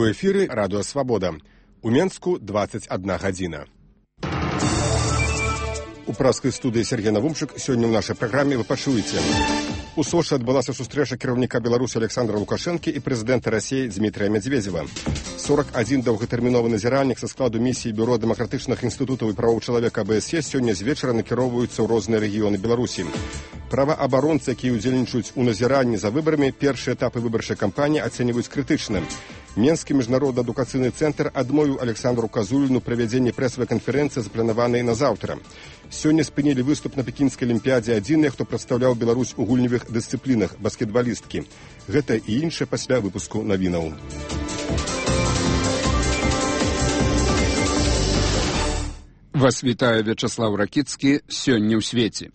У эфіры радыё Свабода. У Менску 21 гадзіна. У праскай студыі Сергей Навумчык сёння ў нашай праграме вы пачуеце. У Сочы адбылася сустрэча кіраўніка Беларусі Александра Лукашэнкі і прэзідэнта Расіі Дмітрыя Медведзева. 41 доўгатэрміновы назіральнік са складу місіі Бюро дэмакратычных інстытутаў і правоў чалавека АБСЕ сёння з вечара накіроўваюцца ў розныя рэгіёны Беларусі. Праваабаронцы, якія ўдзельнічаюць у назіранні за выбарамі, першыя этапы выбарчай кампаніі ацэньваюць крытычна. Менскі міжнародны адукацыйны цэнтр адмовіў Александру Казуліну правядзенне прэсавай канферэнцыі, запланаванай на заўтра. Сёння спынілі выступ на пекінскай алімпіядзе адзіныя, хто прадстаўляў Беларусь у гульневых дысцыплінах, баскетбалісткі. Гэта і іншае пасля выпуску навінаў. Вас вітае Вячаслаў Ракіцкі сёння ў свеце.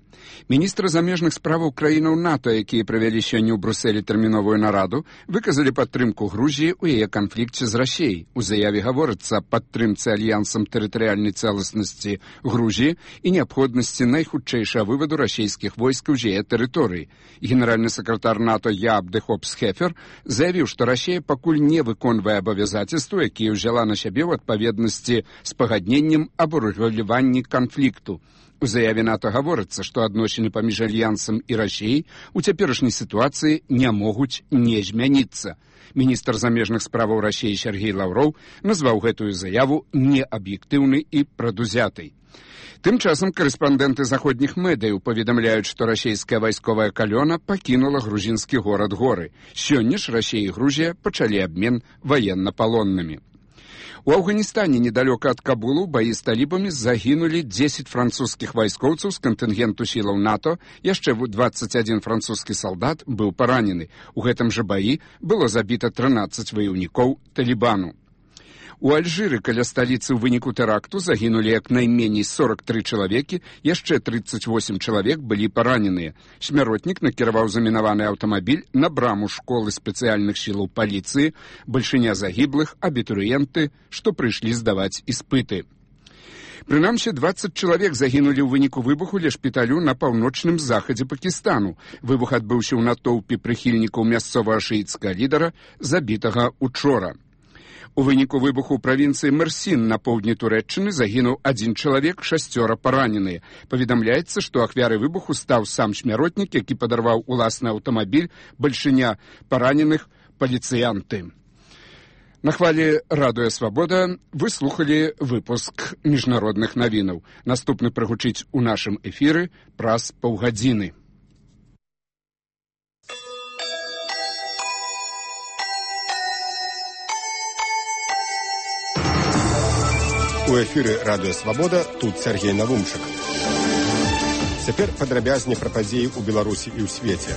Міністры замежных справаў краінаў НАТО, якія правялі сёння ў Брусэлі тэрміновую нараду, выказалі падтрымку Грузіі ў яе канфлікце з Расіяй. У заяве гаворыцца аб падтрымцы альянсам тэрытарыяльнай цэласнасці Грузіі і неабходнасці найхутчэйшага вываду расійскіх войскаў з яе тэрыторыі. Генеральны сакратар НАТО Яаб де Хопс-Хефер заявіў, што Расія пакуль не выконвае абавязацельствы, якія ўзяла на сябе ў адпаведнасці з пагадненнем аб урэгуляванні канфлікту. У заяве НАТО гаворыцца, што адносіны паміж альянсам і Расіяй у цяперашняй сітуацыі не могуць не змяніцца. Міністр замежных справаў Расіі Сергей Лаўроў назваў гэтую заяву неаб'ектыўнай і прадузятай. Тым часам корэспандэнты заходніх медыяў паведамляюць, што расійская вайсковая калёна пакінула грузінскі горад Горы. Сёння ж Расія і Грузія пачалі абмен ваеннапалоннымі. У Афганістане недалёка ад Кабулу баі з талібамі загінулі 10 французскіх вайскоўцаў з кантынгенту сілаў НАТО, яшчэ 21 французскі салдат быў паранены. У гэтым жа баі было забіта 13 ваяўнікоў талібану. У Альжыры каля сталіцы ў выніку тэракту загінулі як найменей 43 чалавекі, яшчэ 38 чалавек былі параненыя. Смяротнік накіраваў замінаваны аўтамабіль на браму школы спецыяльных сілаў паліцыі, бальшыня загіблых абітурыенты, што прыйшлі здаваць іспыты. Прынамсі, 20 чалавек загінулі ў выніку выбуху ля шпіталю на паўночным захадзе Пакістану. Выбух адбыўся ў натоўпе прыхільнікаў мясцовага шыіцкага лідара, забітага учора. У выніку выбуху ў правінцыі Мерсін на поўдні Турэччыны загінуў 1 чалавек, 6 параненыя. Паведамляецца, што ахвярай выбуху стаў сам смяротнік, які падарваў уласны аўтамабіль, бальшыня параненых паліцыянты. На хвалі радыё Свабода вы слухалі выпуск міжнародных навінаў. Наступны прагучыць у нашым эфіры праз паўгадзіны. У эфіры радыё Свабода, тут Сергей Навумчык. Цяпер падрабязней пра падзеі ў Беларусі і ў свеце.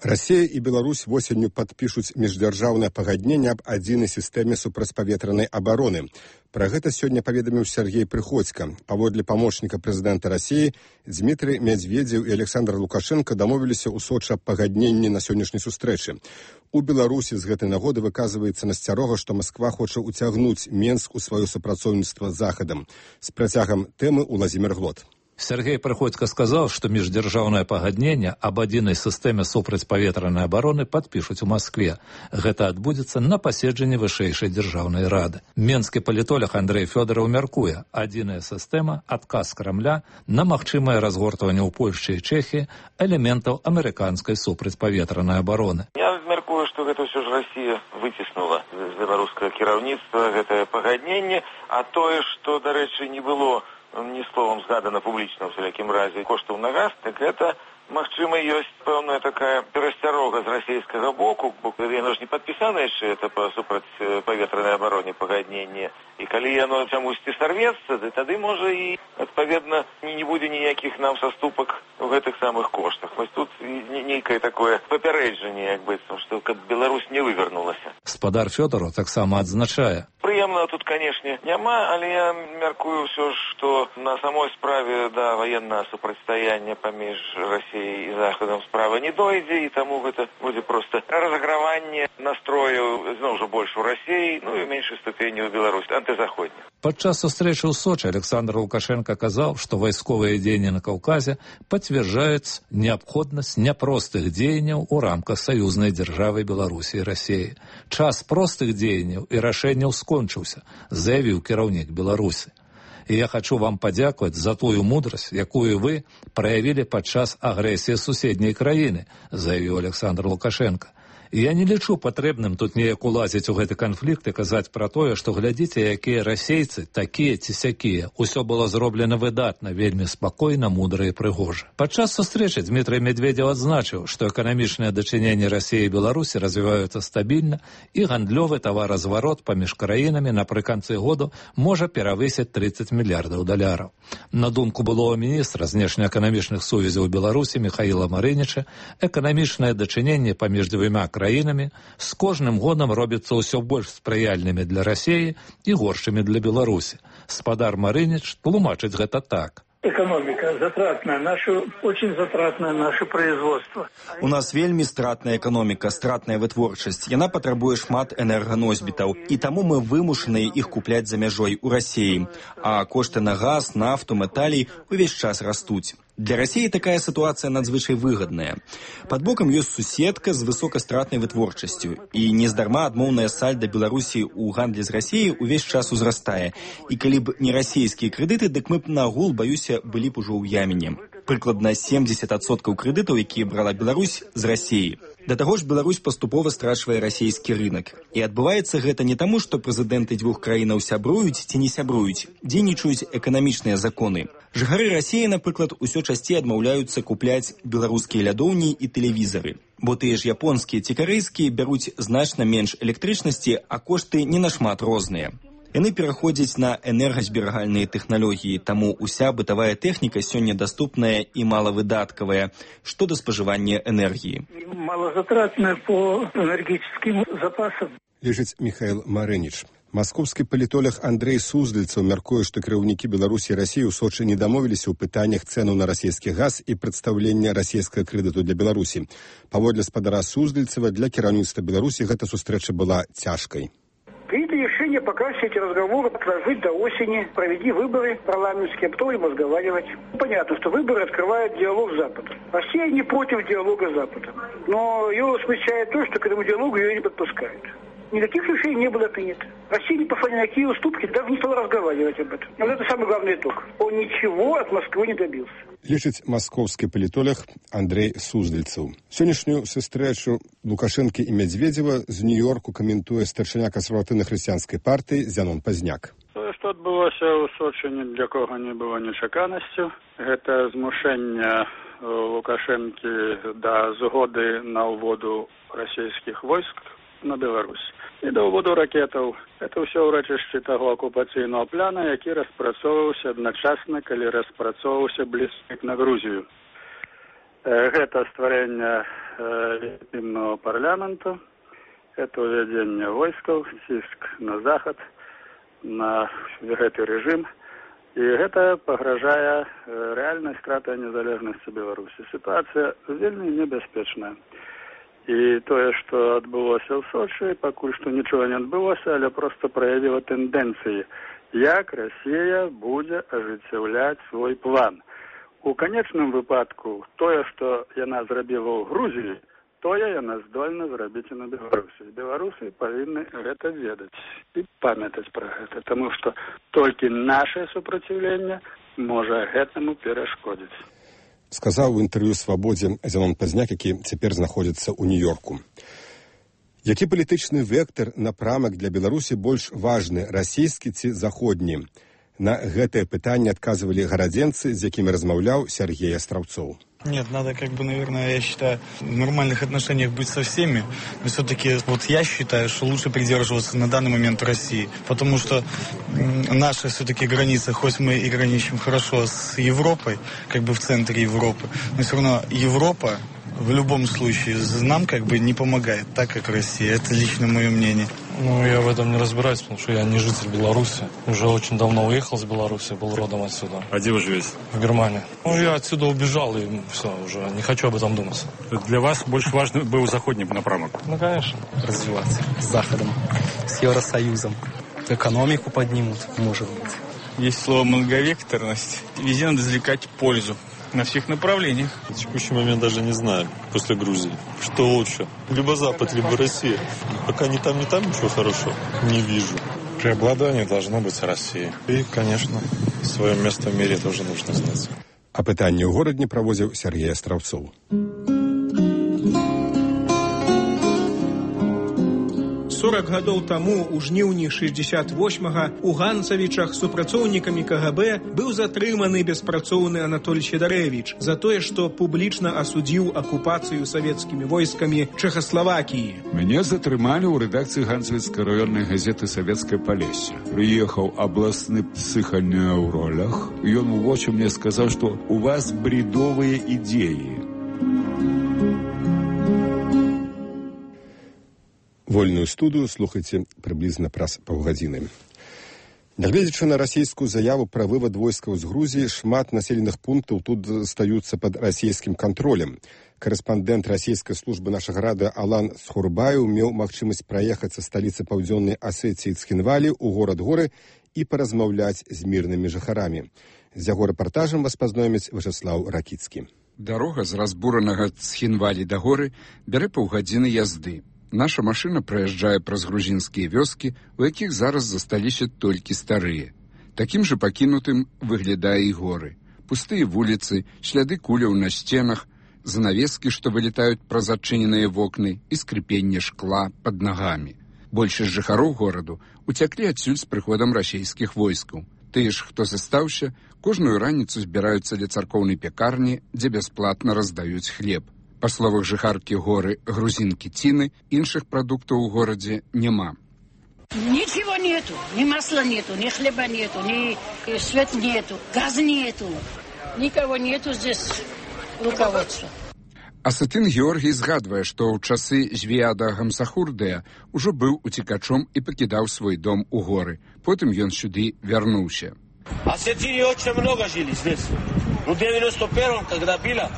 Расія і Беларусь восенню падпішуць міждзяржаўнае пагадненне аб адзінай сістэме супрацьпаветранай абароны. Пра гэта сёння паведаміў Сергей Прыходзька. Паводле памочніка прэзідэнта Расіі, Дмітрый Медведзеў і Александр Лукашенко дамовіліся ў Сочы аб пагадненні на сённяшняй сустрэчы. У Беларусі з гэтай нагоды выказваецца насцярога, што Масква хоча ўцягнуць Менск у сваё супрацоўніцтва з Захадам. З працягам тэмы Уладзімір Глот. Сергей Прыходзька сказаў, што міждзяржаўнае пагадненне аб адзінай сістэме супрацьпаветранай абароны падпішуць у Маскве. Гэта адбудзецца на паседжанні вышэйшай дзяржаўнай рады. Менскі палітолог Андрэй Фёдораў мяркуе, адзіная сістэма, адказ Крамля на магчымае разгортванне ў Польшчы і Чэхіі элементаў амерыканскай супрацьпаветранай абароны. Я мяркую, што гэта ўсё ж Расія выціснула з беларускага кіраўніцтва гэтае пагадненне, а тое, што, дарэчы, не было ні словам згадана публічна ў усялякім разе коштаў на газ, так гэта, магчыма, ёсць пэўная такая перасцярога з расійскага боку, бо яно ж не падпісана яшчэ это па супрацьпаветранай абароне пагадненне. І калі яно чамусьці сарвецца, тады, можа, і, адпаведна, не будзе ніякіх нам саступак у гэтых самых коштах. Вось тут нейкае такое папярэджанне, як быццам, што каб Беларусь не вывернулася. Спадар Фёдораў таксама адзначае. Пры прыемнага тут, канешне, няма, але я мяркую ўсё ж, што на самой справе да ваеннага супрацьстаяння паміж Расіяй і Захадам справа не дойдзе, і таму гэта будзе проста разаграванне настрояў зноў жа больш у Расіі, ну і ў меншай ступені ў Беларусі, антызаходня. Падчас сустрэчы ў Сочи Александр Лукашенко казаў, што вайсковыя дзеянні на Каўказе пацвярджаюць неабходнасць няпростых дзеянняў у рамках саюзнай дзяржавы Беларусі і Расіі. Час простых дзеянняў і рашэнняў скончыўся, заявіў кіраўнік Беларусі. І я хочу вам падзякаваць за тую мудрасць, якую вы праявілі падчас агрэсіі суседняй краіны, заявіў Александр Лукашенко. І я не лічу патрэбным тут неяк улазіць у гэты канфлікт і казаць пра тое, што глядзіце, якія расейцы, такія ці сякія. Усё было зроблена выдатна, вельмі спакойна, мудра і прыгожа. Падчас сустрэчы Дмітрый Медведзеў адзначыў, што эканамічныя дачыненні Расіі і Беларусі развіваюцца стабільна, і гандлёвы таваразварот паміж краінамі напрыканцы году можа перавысіць 30 мільярдаў даляраў. На думку былого міністра знешнеэканамічных сувязяў Беларусі Михаіла Марыніча, эканамічныя дачыненні паміж дзвюма краінамі з кожным годам робяцца ўсё больш спрыяльнымі для Расіі і горшымі для Беларусі. Спадар Марыніч тлумачыць гэта так. Экономика затратная, очень затратное наше производство. У нас вельмі стратная экономика, стратная вытворчасць. Яна патрабуе шмат энерганосьбітаў, і таму мы вымушаныя іх купляць за мяжой у Расіі. А кошты на газ, нафту, металей увесь час растуць. Для Расіі такая сітуацыя надзвычай выгадная. Пад бокам ёсць суседка з высокастратнай вытворчасцю, і нездарма адмоўная сальда Беларусі ў гандлі з Расіяй увесь час узрастае. І калі б не расійскія крэдыты, дык мы б нагул, баюся, былі б ужо ў яміне. Прыкладна 70% крэдытаў, якія брала Беларусь з Расіі. Да таго ж Беларусь паступова страчвае расійскі рынак. І адбываецца гэта не таму, што прэзідэнты дзвюх краінаў сябруюць ці не сябруюць, дзейнічаюць эканамічныя законы. Жыхары Расіі, напрыклад, усё часцей адмаўляюцца купляць беларускія лядоўні і тэлевізары. Бо тыя ж японскія ці карэйскія бяруць значна менш электрычнасці, а кошты не нашмат розныя. Яны пераходзяць на энергазберагальныя тэхналогіі, таму уся бытавая тэхніка сёння даступная і малавыдаткавая, што да спажывання энергіі. Малозатратная по энергетическим запасам. Лежыць Михаил Марыніч. Маскоўскі палітолог Андрей Суздальцаў мяркуе, што кіраўнікі Беларусі і Расіі ў Сочы не дамовіліся ў пытаннях цэну на расійскі газ і прадстаўлення расійскага крэдыту для Беларусі. Паводле спадара Суздальцева, для кіраўніцтва Беларусі гэта сустрэча была цяжкай. Принято решение пока все эти разговоры отложить до осени, проведи выборы парламентские, а потом им разговаривать. Понятно, что выборы открывают диалог с Западом. Россия не против диалога с Западом, но ее смущает то, что к этому диалогу ее не подпускают. Никаких решений не было принято. Россия не пошла ни на какие уступки, даже не стала разговаривать об этом. Но это самый главный итог. Он ничего от Москвы не добился. Лічыць маскоўскі палітолог Андрей Суздальцаў. Сённяшнюю сустрэчу Лукашэнкі і Медведзева з Нью-Йорку каментуе старшыня кансерватыўна-хрысціянскай партыі Зянон Пазняк. Тое, што адбылося ў Сочы, ні для кого не было нечаканасцю. Гэта змушэнне Лукашэнкі да згоды на ўводу расійскіх войск на Беларусь і да ўводу ракетаў. Это ўсё ўрачышчы таго акупацыйнага пляна, які распрацоўваўся адначасна, калі распрацоўваўся бліжэйк на Грузію. Гэта стварэнне легітымнага парламенту, гэта ўвядзенне войскаў, ціск на захад, на гэты рэжым, і гэта пагражае рэальнай стратай незалежнасці Беларусі. Сітуацыя вельмі небяспечная. І тое, што адбылося ў Сочы, пакуль што нічога не адбылося, але проста праявіла тэндэнцыі, як Расія будзе ажыццяўляць свой план. У канечным выпадку тое, што яна зрабіла ў Грузіі, тое яна здольна зрабіць і на Беларусі. Беларусы павінны гэта ведаць і памятаць пра гэта, таму што толькі наше супраціўленне можа гэтаму перашкодзіць. Сказаў у інтэрв'ю «Свабодзе» Зянон Пазняк, які цяпер знаходзіцца ў Нью-Йорку. Які палітычны вектар, напрамак для Беларусі больш важны, расійскі ці заходні? На гэтае пытанне адказвалі гарадзенцы, з якімі размаўляў Сергей Астраўцоў. Нет, надо, наверное, я считаю, в нормальных отношениях быть со всеми. Но все-таки я считаю, что лучше придерживаться на данный момент России. Потому что наши все-таки границы, хоть мы и граничим хорошо с Европой, в центре Европы, но все равно Европа в любом случае нам не помогает, так как Россия. Это лично мое мнение. Ну, я в этом не разбираюсь, потому что я не житель Беларуси. Уже очень давно уехал с Беларуси, был родом отсюда. А где вы живете? В Германии. Ну, я отсюда убежал, и все, уже не хочу об этом думать. Для вас больше важно был заходний напрамок? Ну, конечно. Развиваться с Заходом, с Евросоюзом. Экономику поднимут, может быть. Есть слово «многовекторность». Везде надо извлекать пользу. На всех направлениях. В текущий момент даже не знаю, после Грузии, что лучше. Либо Запад, либо Россия. Пока ни там, ничего хорошего не вижу. Преобладание должно быть России. И, конечно, свое место в мире тоже нужно знать. А пытанне ў горадні правозіў Сергей Островцоў. 40 гадоў таму, у жніўні 68-га, у Ганцавічах супрацоўнікамі КГБ быў затрыманы беспрацоўны Анатоль Щедарэвіч за тое, што публічна асудзіў акупацыю савецкімі войскамі Чэхаславакіі. Мяне затрымалі ў рэдакцыі Ганцавіцкай раённай газеты «Савецкае Палессе». Прыехаў абласны псіханеў ў ролях. Ён у вочы мне сказаў, што у вас бредовыя ідеі. Вольную студыю слухайце прыблізна праз паўгадзіны. Нягледзячы на расійскую заяву пра вывад войскаў з Грузіі, шмат населеных пунктаў тут стаюцца пад расійскім кантролем. Карэспандэнт расійскай службы нашага рада Алан Цхурбаеў меў магчымасць праехаць са сталіцы паўдзённай Асетіі Цхінвалі ў горад Горы і паразмаўляць з мірнымі жыхарамі. З яго рэпартажам вас пазнаёміць Вячеслав Ракіцкі. Дарога з разбуранага Цхінвалі да горы бярэ паўгадзіны язды. Наша машына праязджае праз грузінскія вёскі, у якіх зараз засталіся толькі старыя. Такім жа пакінутым выглядае і горы. Пустыя вуліцы, сляды куляў на сценах, занавескі, што вылетаюць праз адчыненыя вокны і скрыпенне шкла пад нагамі. Большасць жыхароў гораду уцяклі адсюль з прыходам расійскіх войскаў. Тыя ж, хто застаўся, кожную раніцу збіраюцца ля царкоўнай пякарні, дзе бясплатна раздаюць хлеб. Па словах жыхаркі горы грузінкі Ціны, іншых прадуктаў у горадзе няма. Ничего нету, ни масла нету, ни хлеба нету, ни свет нету, газ нету. Никого нету здесь руководства. Асетын Георгій згадвае, што ў часы Звіяда Гамсахурдыя ўжо быў уцекачом і пакідаў свой дом у горы. Потым ён сюды вярнуўся. Осетины очень много жили здесь. В 91-м, когда было,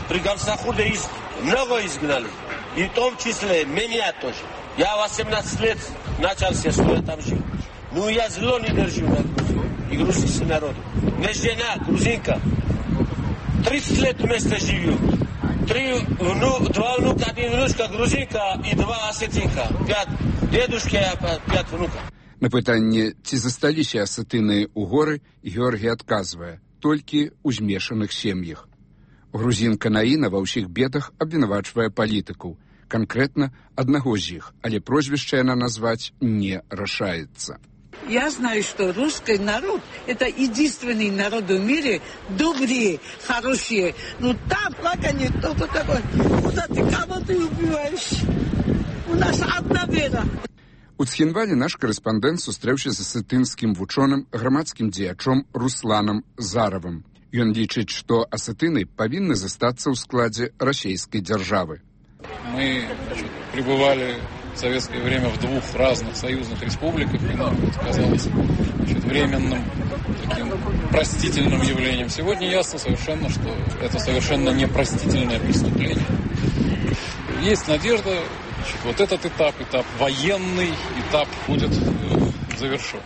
при Гамсахурде много изгнали. И в том числе меня тоже. Я 18 лет начался, что я там жил. Ну, я зло не держу на Грузию и грузинский народ. Мне жена, грузинка, 30 лет вместе живем. Два внука, один внучка грузинка и два осетинка. 5 дедушки, 5 внуков. На пытанне, ці засталіся асетыны ў горы, Георгій адказвае, толькі ў змешаных сем'ях. Грузінка Наіна ва ўсіх бедах абвінавачвае палітыкаў, канкрэтна аднаго з іх, але прозвішча яна назваць не рашаецца. Я знаю, что русский народ – это единственный народ в мире, добрые, хорошие. Ну там плакание, кто-то такой, куда ты, кого ты убиваешь? У нас одна вера. У Цхінвалі наш карэспандэнт сустрэўся з асетынскім вучоным грамадскім дзеячом Русланам Заравым. Ён лічыць, што асетыны павінны застацца ў складзе расійскай дзяржавы. Мы пребывали в советское время в 2 разных союзных республиках, и нам это казалось временным, таким простительным явлением. Сегодня ясно совершенно, что это совершенно непростительное преступление. Есть надежда, вот этот этап военный этап будет завершен.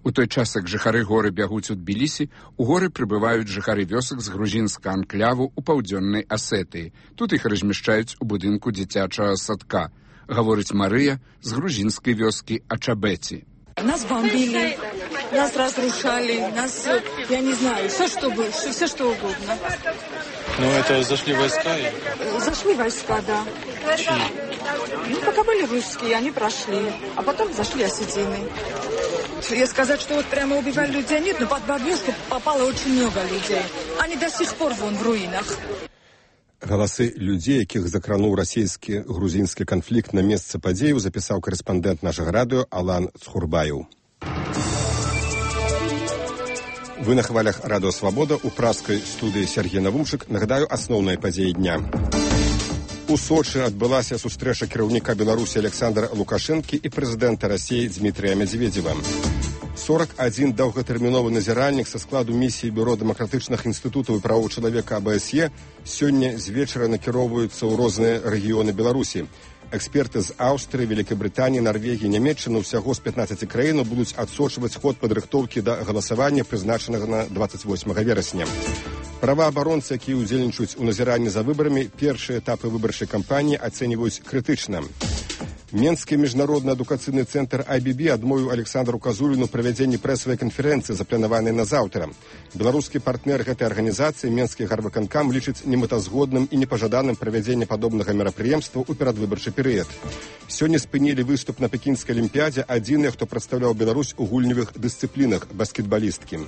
У той час, як жыхары горы бягуць у Тбілісі, у горы прыбываюць жыхары вёсак з грузінскага анкляву ў паўдзённай Асетыі. Тут іх размяшчаюць у будынку дзіцячага садка. Гаворыць Марыя з грузінскай вёскі Ачабэці. Нас бомбили, нас разрушали, нас, я не знаю, все что угодно. Ну, это зашли войска? Зашли войска, да. Чьи? Ну, пока были русские, они прошли, а потом зашли осетины. Я сказать, что вот прямо убивали людей нет, но под бомбежку попало очень много людей. Они до сих пор вон в руинах. Галасы людзей, якіх закрануў расійскі грузінскі канфлікт на месцы падзеяў, запісаў карэспандэнт нашага радыё Алан Цхурбаеў. Вы на хвалях радыё «Свабода» у пражскай студыі Сергей Навумчык. Нагадаю, асноўныя падзеі дня. У У Сочы адбылася сустрэча кіраўніка Беларусі Александра Лукашэнкі і прэзідэнта Расіі Дмітрия Медведева. 41 даўгатэрміновы назіральнік са складу місіі Бюро дэмакратычных інстытутаў і правоў чалавека АБСЕ сёння з вечара накіроўваюцца ў розныя рэгіёны Беларусі. Эксперты з Аўстрыі, Великабрытаніі, Нарвегіі, Нямецчыны ўсяго з 15 краінаў будуць адсочваць ход падрыхтоўкі да галасавання, прызначанага на 28 верасня. Праваабаронцы, якія ўдзельнічаюць у назіранні за выбарамі, першыя этапы выбарчай кампаніі ацэньваюць крытычна. Менскі міжнародны адукацыйны цэнтр IBB адмовіў Александру Казуліну правядзенні прэсавай канферэнцыі, запланаванай на заўтра. Беларускі партнер гэтай арганізацыі, Менскі гарвыканкам, лічыць немэтазгодным і непажаданым правядзенне падобнага мерапрыемства ў перадвыбарчы перыяд. Сёння спынілі выступ на пекінскай алімпіядзе адзіныя, хто прадстаўляў Беларусь у гульневых дысцыплінах — баскетбалісткі.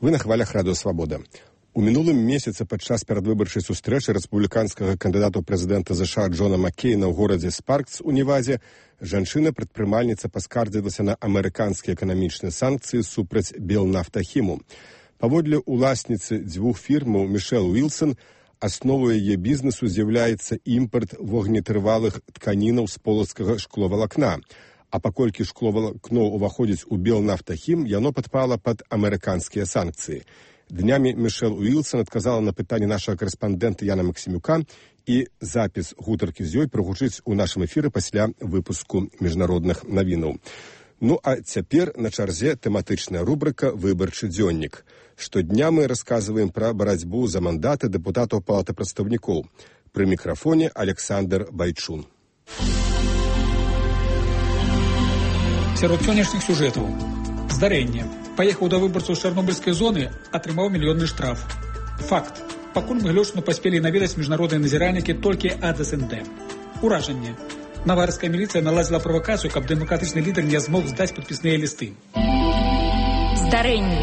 Вы на хвалях Радыё Свабода. У мінулым месяцы падчас перадвыбарчай сустрэчы рэспубліканскага кандыдата ў прэзідэнта США Джона Маккейна ў горадзе Спаркс у Невазе жанчына-прадпрымальніца паскардзілася на амерыканскія эканамічныя санкцыі супраць Белнафтахіму. Паводле уласніцы дзвюх фірмаў Мішэл Уілсон, асновай яе бізнесу з'яўляецца імпарт вогнетрывалых тканінаў з полацкага шкловалакна. А паколькі шкловалакно ўваходзіць у Белнафтахім, яно падпала пад амерыканскія санкцыі. Днямі Мішэл Уілсон адказала на пытанне нашага карэспандэнта Яна Максімюка, і запіс гутаркі з ёй прагучыць у нашым эфіры пасля выпуску міжнародных навінаў. Ну а цяпер на чарзе тэматычная рубрыка «Выбарчы дзённік». Штодня мы расказваем пра барацьбу за мандаты дэпутатаў Палаты прадстаўнікоў. Пры мікрафоне Александр Байчун. Сярод сённяшніх сюжэтаў. Здарэнне. Паехаў да выбарцаў з чарнобыльскай зоны, атрымаў мільённы штраф. Факт. Пакуль мы глёшчыну паспелі наведаць міжнародныя назіральнікі толькі ад СНД. Уражанне. Наварская міліцыя наладзіла правакацыю, каб дэмакратычны лідар не змог здаць падпісныя лісты. Здарэнне.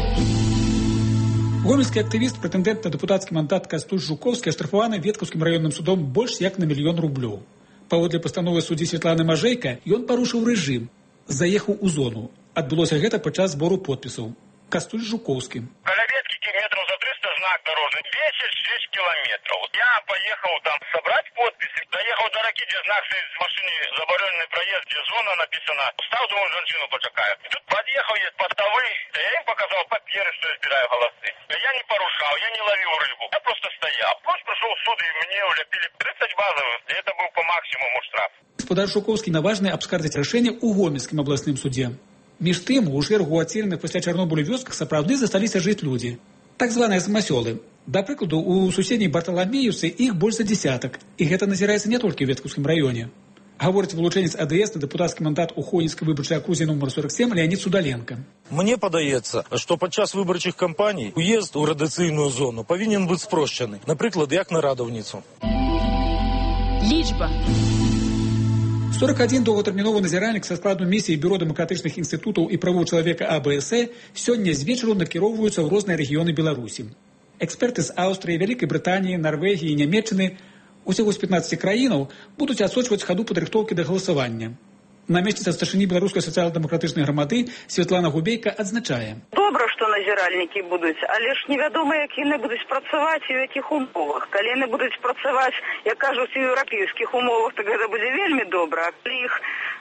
Гомельскі актывіст, прэтэндэнт на дэпутацкі мандат Кастусь Жукоўскі аштрафаваны Веткаўскім раённым судом больш як на 1 000 000 рублёў. Паводле пастановы суддзі Святланы Мажэйка, ён парушыў рэжым, заехаў у зону. Адбылося гэта падчас збору подпісаў. Кастусь Жукоўскі. Каля веткі метров за 300 знак дорожны. 10-6 километров. Я поехал там собрать подписи. Доехал до Раки, где знак стоит с машины забороненный проезд, где зона написана. Стал, думаю, женщину почекаю. Тут подъехал, есть постовый. Я им показал паперы, что я избираю голосы. Я не порушал, я не ловил рыбу. Я просто стоял. Просто пришел в суд, и мне уляпили 30 базовых. И это был по максимуму штраф. Гаспадар Жукоўскі наважны абскардзіць рашэнне ў Гомельскім абласным судзе. Між тым, у шэрагу ацеленых пасля Чарнобылю вёсках сапраўды засталіся жыць людзі. Так званыя самасёлы. Да прыкладу, у суседняй Барталамеюцы іх больш за десятак. І гэта назіраецца не толькі ў Веткаўскім раёне. Гаворыць вылучэнец АДС на дэпутацкі мандат у Хойніцкай выбарчай акрузе нумар 47 Леонид Судаленко. Мне падаецца, што падчас выбарчых кампаній уезд у радыцыйную зону павінен быць спрошчаны. Напрыклад, як на радаўніцу. Лічба. 41 доўгатэрміновы назіральнік са складу місіі Бюро дэмакратычных інстытутаў і правоў чалавека АБСЕ сёння з вечару накіроўваюцца ў розныя рэгіёны Беларусі. Эксперты з Аўстрыі, Вялікай Брытаніі, Нарвегіі, Нямецчыны, усяго з 15 краінаў будуць адсочваць хаду падрыхтоўкі да галасавання. Намесніца старшыні беларускай сацыяльна-дэмакратычнай грамады Святлана Губейка адзначае. Добра, што назіральнікі будуць, але ж невядома, як яны будуць працаваць і ў якіх умовах. Калі яны будуць працаваць, як кажуць, у еўрапейскіх умовах, так гэта будзе вельмі добра. Калі іх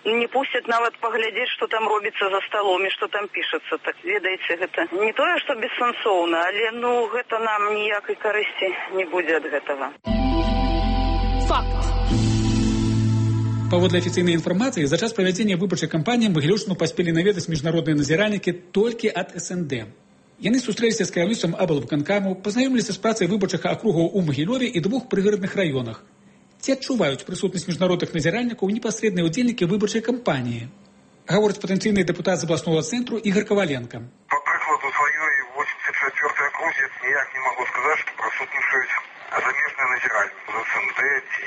не пусцяць нават паглядзець, што там робіцца за сталом і што там пішацца, так ведаеце, гэта не тое, што бессэнсоўна, але гэта нам ніякай карысці не будзе ад гэтага. Факт. Паводле афіцыйнай інфармацыі, за час правядзення выбарчай кампаніі Магілёўшчыну паспелі наведаць міжнародныя назіральнікі толькі ад СНД. Яны сустрэліся з кіраўніцтвам аблвыканкаму, пазнаёміліся з працай выбарчага акругаў у Магілёве і 2 прыгарадных раёнах. Ці адчуваюць прысутнасць міжнародных назіральнікаў непасрэдныя ўдзельнікі выбарчай кампаніі. Гаворыць патэнцыйны дэпутат з абласнога цэнтру Ігар Каваленка. Па прыкладу сваёй 84-й акрузе ніяк не магу сказаць, што прысутнічаюць замежныя назіральнікі з СНД ці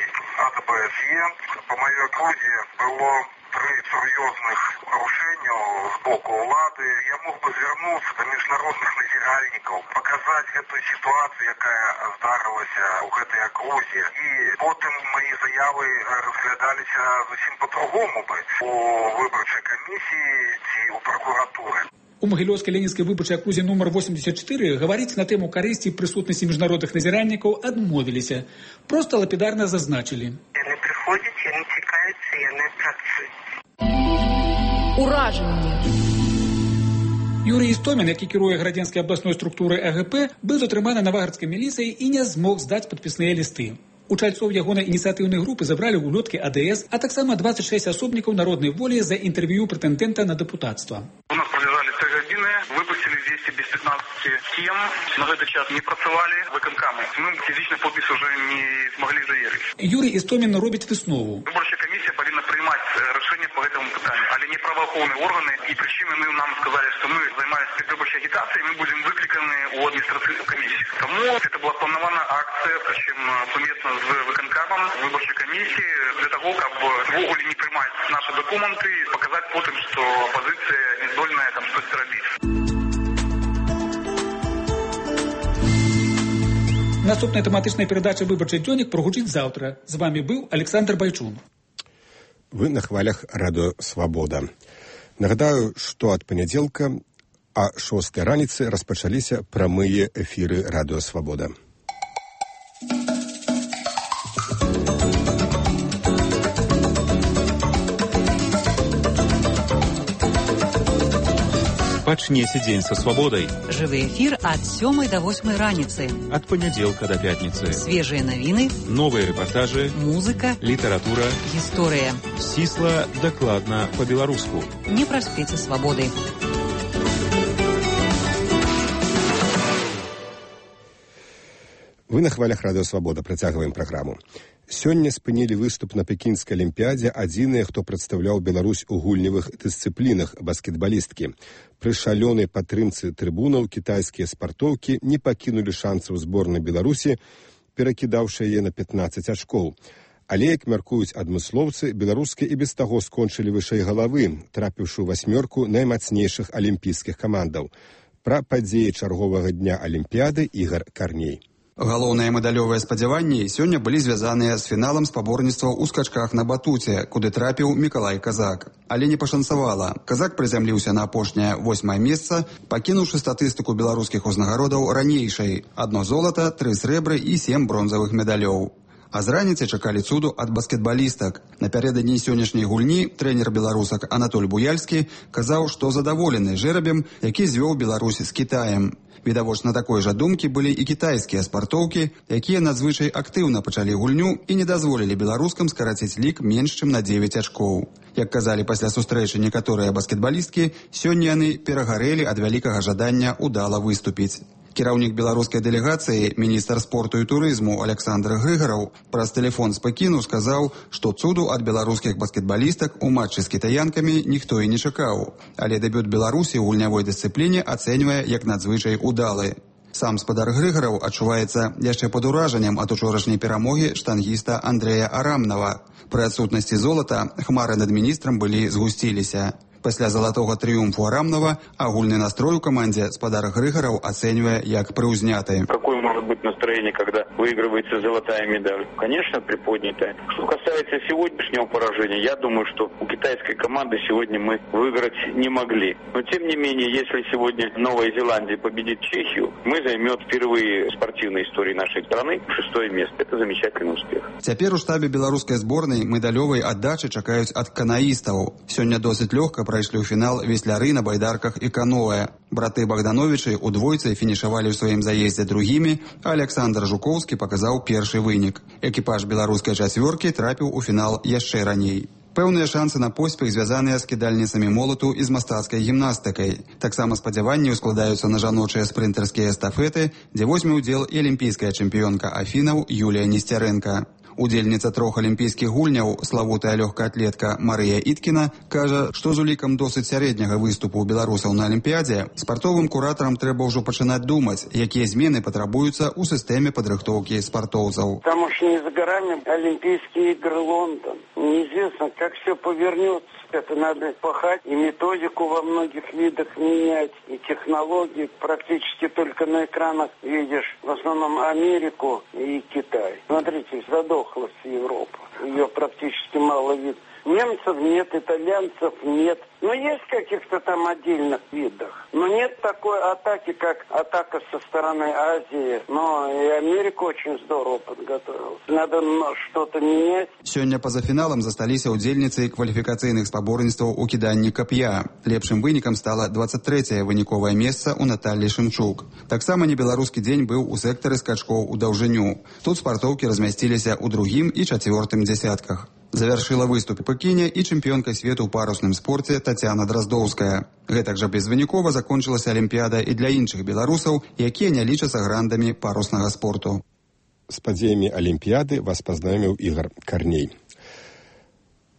АБСЕ. Па маёй акрузе было 3 сур'ёзных парушэнняў з боку ўлады. Я мог бы звярнуцца да міжнародных назіральнікаў, паказаць гэтую сітуацыю, якая здарылася ў гэтай акрузе. І потым мои заявы разглядаліся зусім па-другому бы у выбарчай камісіі ці ў пракуратуры. У у Магілёўскай ленінскай выбарчай акрузе нумар 84 гаварыць на тэму карысці і прысутнасці міжнародных назіральнікаў адмовіліся. Проста лапідарна зазначылі. Яны прыходзяць, яны цікаюцца, яны працуюць. Уражанне. Юрий Істомін, які кіруе градзенскай абласной структурай АГП, быў затрыманы наваградскай міліцыяй і не змог здаць падпісныя лісты. У чальцоў ягонай ініцыятыўнай групы забралі улёткі АДС, а таксама 26 асобнікаў народнай волі за інтэрв'ю прэтэндэнта на дэпутацтва. У нас пролежали 3 годины, выпустили 200 без 15 тем, на этот час не працавали выканкамы. Мы физично подпись уже не смогли заверить. Юрий Істомін робіць выснову. Выборчая комиссия повинна принимать решение по этому питанию, але не правоохранные органы. И причины нам сказали, что мы занимались предвыборчей агитацией, мы будем выкликаны у административной комиссии. Тому это была планованная акция, причем совместно с выканкамом выборчей комиссии, для того, чтобы вогуле не принимать наши документы и показать потом, что оппозиция не здольная там что-то робить. Наступная тэматычная перадача «Выбарчы дзённік» прагучыць заўтра. З вами быў Александр Байчун. Вы на хвалях радыё «Свабода». Нагадаю, што ад панядзелка а 6 раніцы распачаліся прамыя эфіры радыё «Свабода». Пачнеце дзень са свабодай. Жывы эфір ад 7 до 8 раніцы. Ад панядзелка да пятніцы. Свежыя навіны, новыя рэпартажы, музыка, літаратура, гісторыя. Сісла, дакладна, па-беларуску. Не праспеце свабоды. Вы на хвалях радыё «Свабода». Працягваем праграму. Сёння спынілі выступ на пекінскай алімпіядзе адзіныя, хто прадстаўляў Беларусь у гульнявых дысцыплінах баскетбалісткі. Пры шалёнай падтрымцы трыбунаў кітайскія спартоўкі не пакінулі шансаў зборнай Беларусі, перакідаўшы яе на 15 ачкоў. Але, як мяркуюць адмыслоўцы, беларускія і без таго скончылі вышэй галавы, трапіўшы ў 8 наймацнейшых алімпійскіх камандаў. Пра падзеі чарговага дня алімпіяды Ігар Карней. Галоўныя медалёвыя спадзяванні сёння былі звязаныя з фіналам спаборніцтваў у скачках на батуце, куды трапіў Мікалай Казак. Але не пашанцавала. Казак прызямліўся на апошняе 8 месца, пакінуўшы статыстыку беларускіх узнагародаў ранейшай. 1 золата, 3 срэбры і 7 бронзавых медалёў. А з раніцы чакалі цуду ад баскетбалістак. Напярэдадні сённяшняй гульні трэнер беларусак Анатоль Буяльскі казаў, што задаволены жэрабем, які звёў Беларусь з Кітаем. Відавочна такой жа думкі былі і кітайскія спартоўкі, якія надзвычай актыўна пачалі гульню і не дазволілі беларускам скараціць лік менш чым на 9 ачкоў. Як казалі пасля сустрэчы некаторыя баскетбалісткі, сёння яны перагарэлі ад вялікага жадання удала выступіць. Кіраўнік беларускай дэлегацыі, міністр спорту і турызму Александр Грыгараў праз тэлефон з Пекіну сказаў, што цуду ад беларускіх баскетбалістак у матчы з кітаянкамі ніхто і не чакаў. Але дэбют Беларусі ў гульнявой дысцыпліне ацэньвае як надзвычай удалы. Сам спадар Грыгараў адчуваецца яшчэ пад уражаннем ад учорашняй перамогі штангіста Андрэя Арамнава. Пры адсутнасці золата хмары над міністрам былі згусціліся. Пасля залатога трыумфу Арамнава агульны настрой у камандзе спадар Грыгараў ацэньвае як прыўзняты. Какое может быть настроение, когда выигрывается золотая медаль? Конечно, приподнятая. Что касается сегодняшнего поражения, я думаю, что у китайской команды сегодня мы выиграть не могли. Но тем не менее, если сегодня Новая Зеландия победит Чехию, мы займем впервые в спортивной истории нашей страны 6 место. Это замечательный успех. Цяпер у штабе беларускай зборнай медалёвай аддачы чакаюць ад канаістаў. Сёння досыць лёгка прайшлі ў фінал весляры на байдарках і каноэ. Браты Богдановичы у двойцы фінішавалі ў сваім заездзе другімі, а Александр Жуковскі паказаў першы вынік. Экіпаж беларускай чацвёркі трапіў у фінал яшчэ раней. Пэўныя шансы на поспех звязаныя з кідальніцамі молату і з мастацкай гімнастыкай. Таксама спадзяванні складаюцца на жаночыя спрынтарскія эстафеты, дзе возьме ўдзел і алімпійская чэмпіёнка Афінаў Юлія Несцярэнка. Удзельніца 3 алімпійскіх гульняў, славутая лёгкаатлетка Марыя Іткіна, кажа, што з улікам досыць сярэдняга выступу ў беларусаў на алімпіядзе спартовым куратарам трэба ўжо пачынаць думаць, якія змены патрабуюцца ў сістэме падрыхтоўкі спартоўцаў. Потому что не за горами Олимпийские игры Лондон. Неизвестно, как все повернется. Это надо пахать и методику во многих видах менять, и технологии. Практически только на экранах видишь в основном Америку и Китай. Смотрите, задохлась Европа. Ее практически мало видно. Немцев нет, итальянцев нет. Но есть в каких-то там отдельных видах. Но нет такой атаки, как атака со стороны Азии. Но и Америка очень здорово подготовилась. Надо что-то менять. Сёння па-за фіналам засталіся ўдзельніцы кваліфікацыйных спаборніцтваў у кіданні кап'я. Лепшым вынікам стала 23-е выніковае месца ў Наталлі Шымчук. Таксама небеларускі дзень быў у сектары скачкоў у даўжыню. Тут спартоўкі размясціліся ў другім і чацвёртым дзясятках. Завяршыла выступ у Пекіне і чэмпіёнка свету ў парусным спорце Тацяна Драздоўская. Гэтак жа безвынікова закончылася алімпіяда і для іншых беларусаў, якія не лічацца грандамі паруснага спорту. З падзеямі алімпіяды вас пазнаёміў Ігар Карней.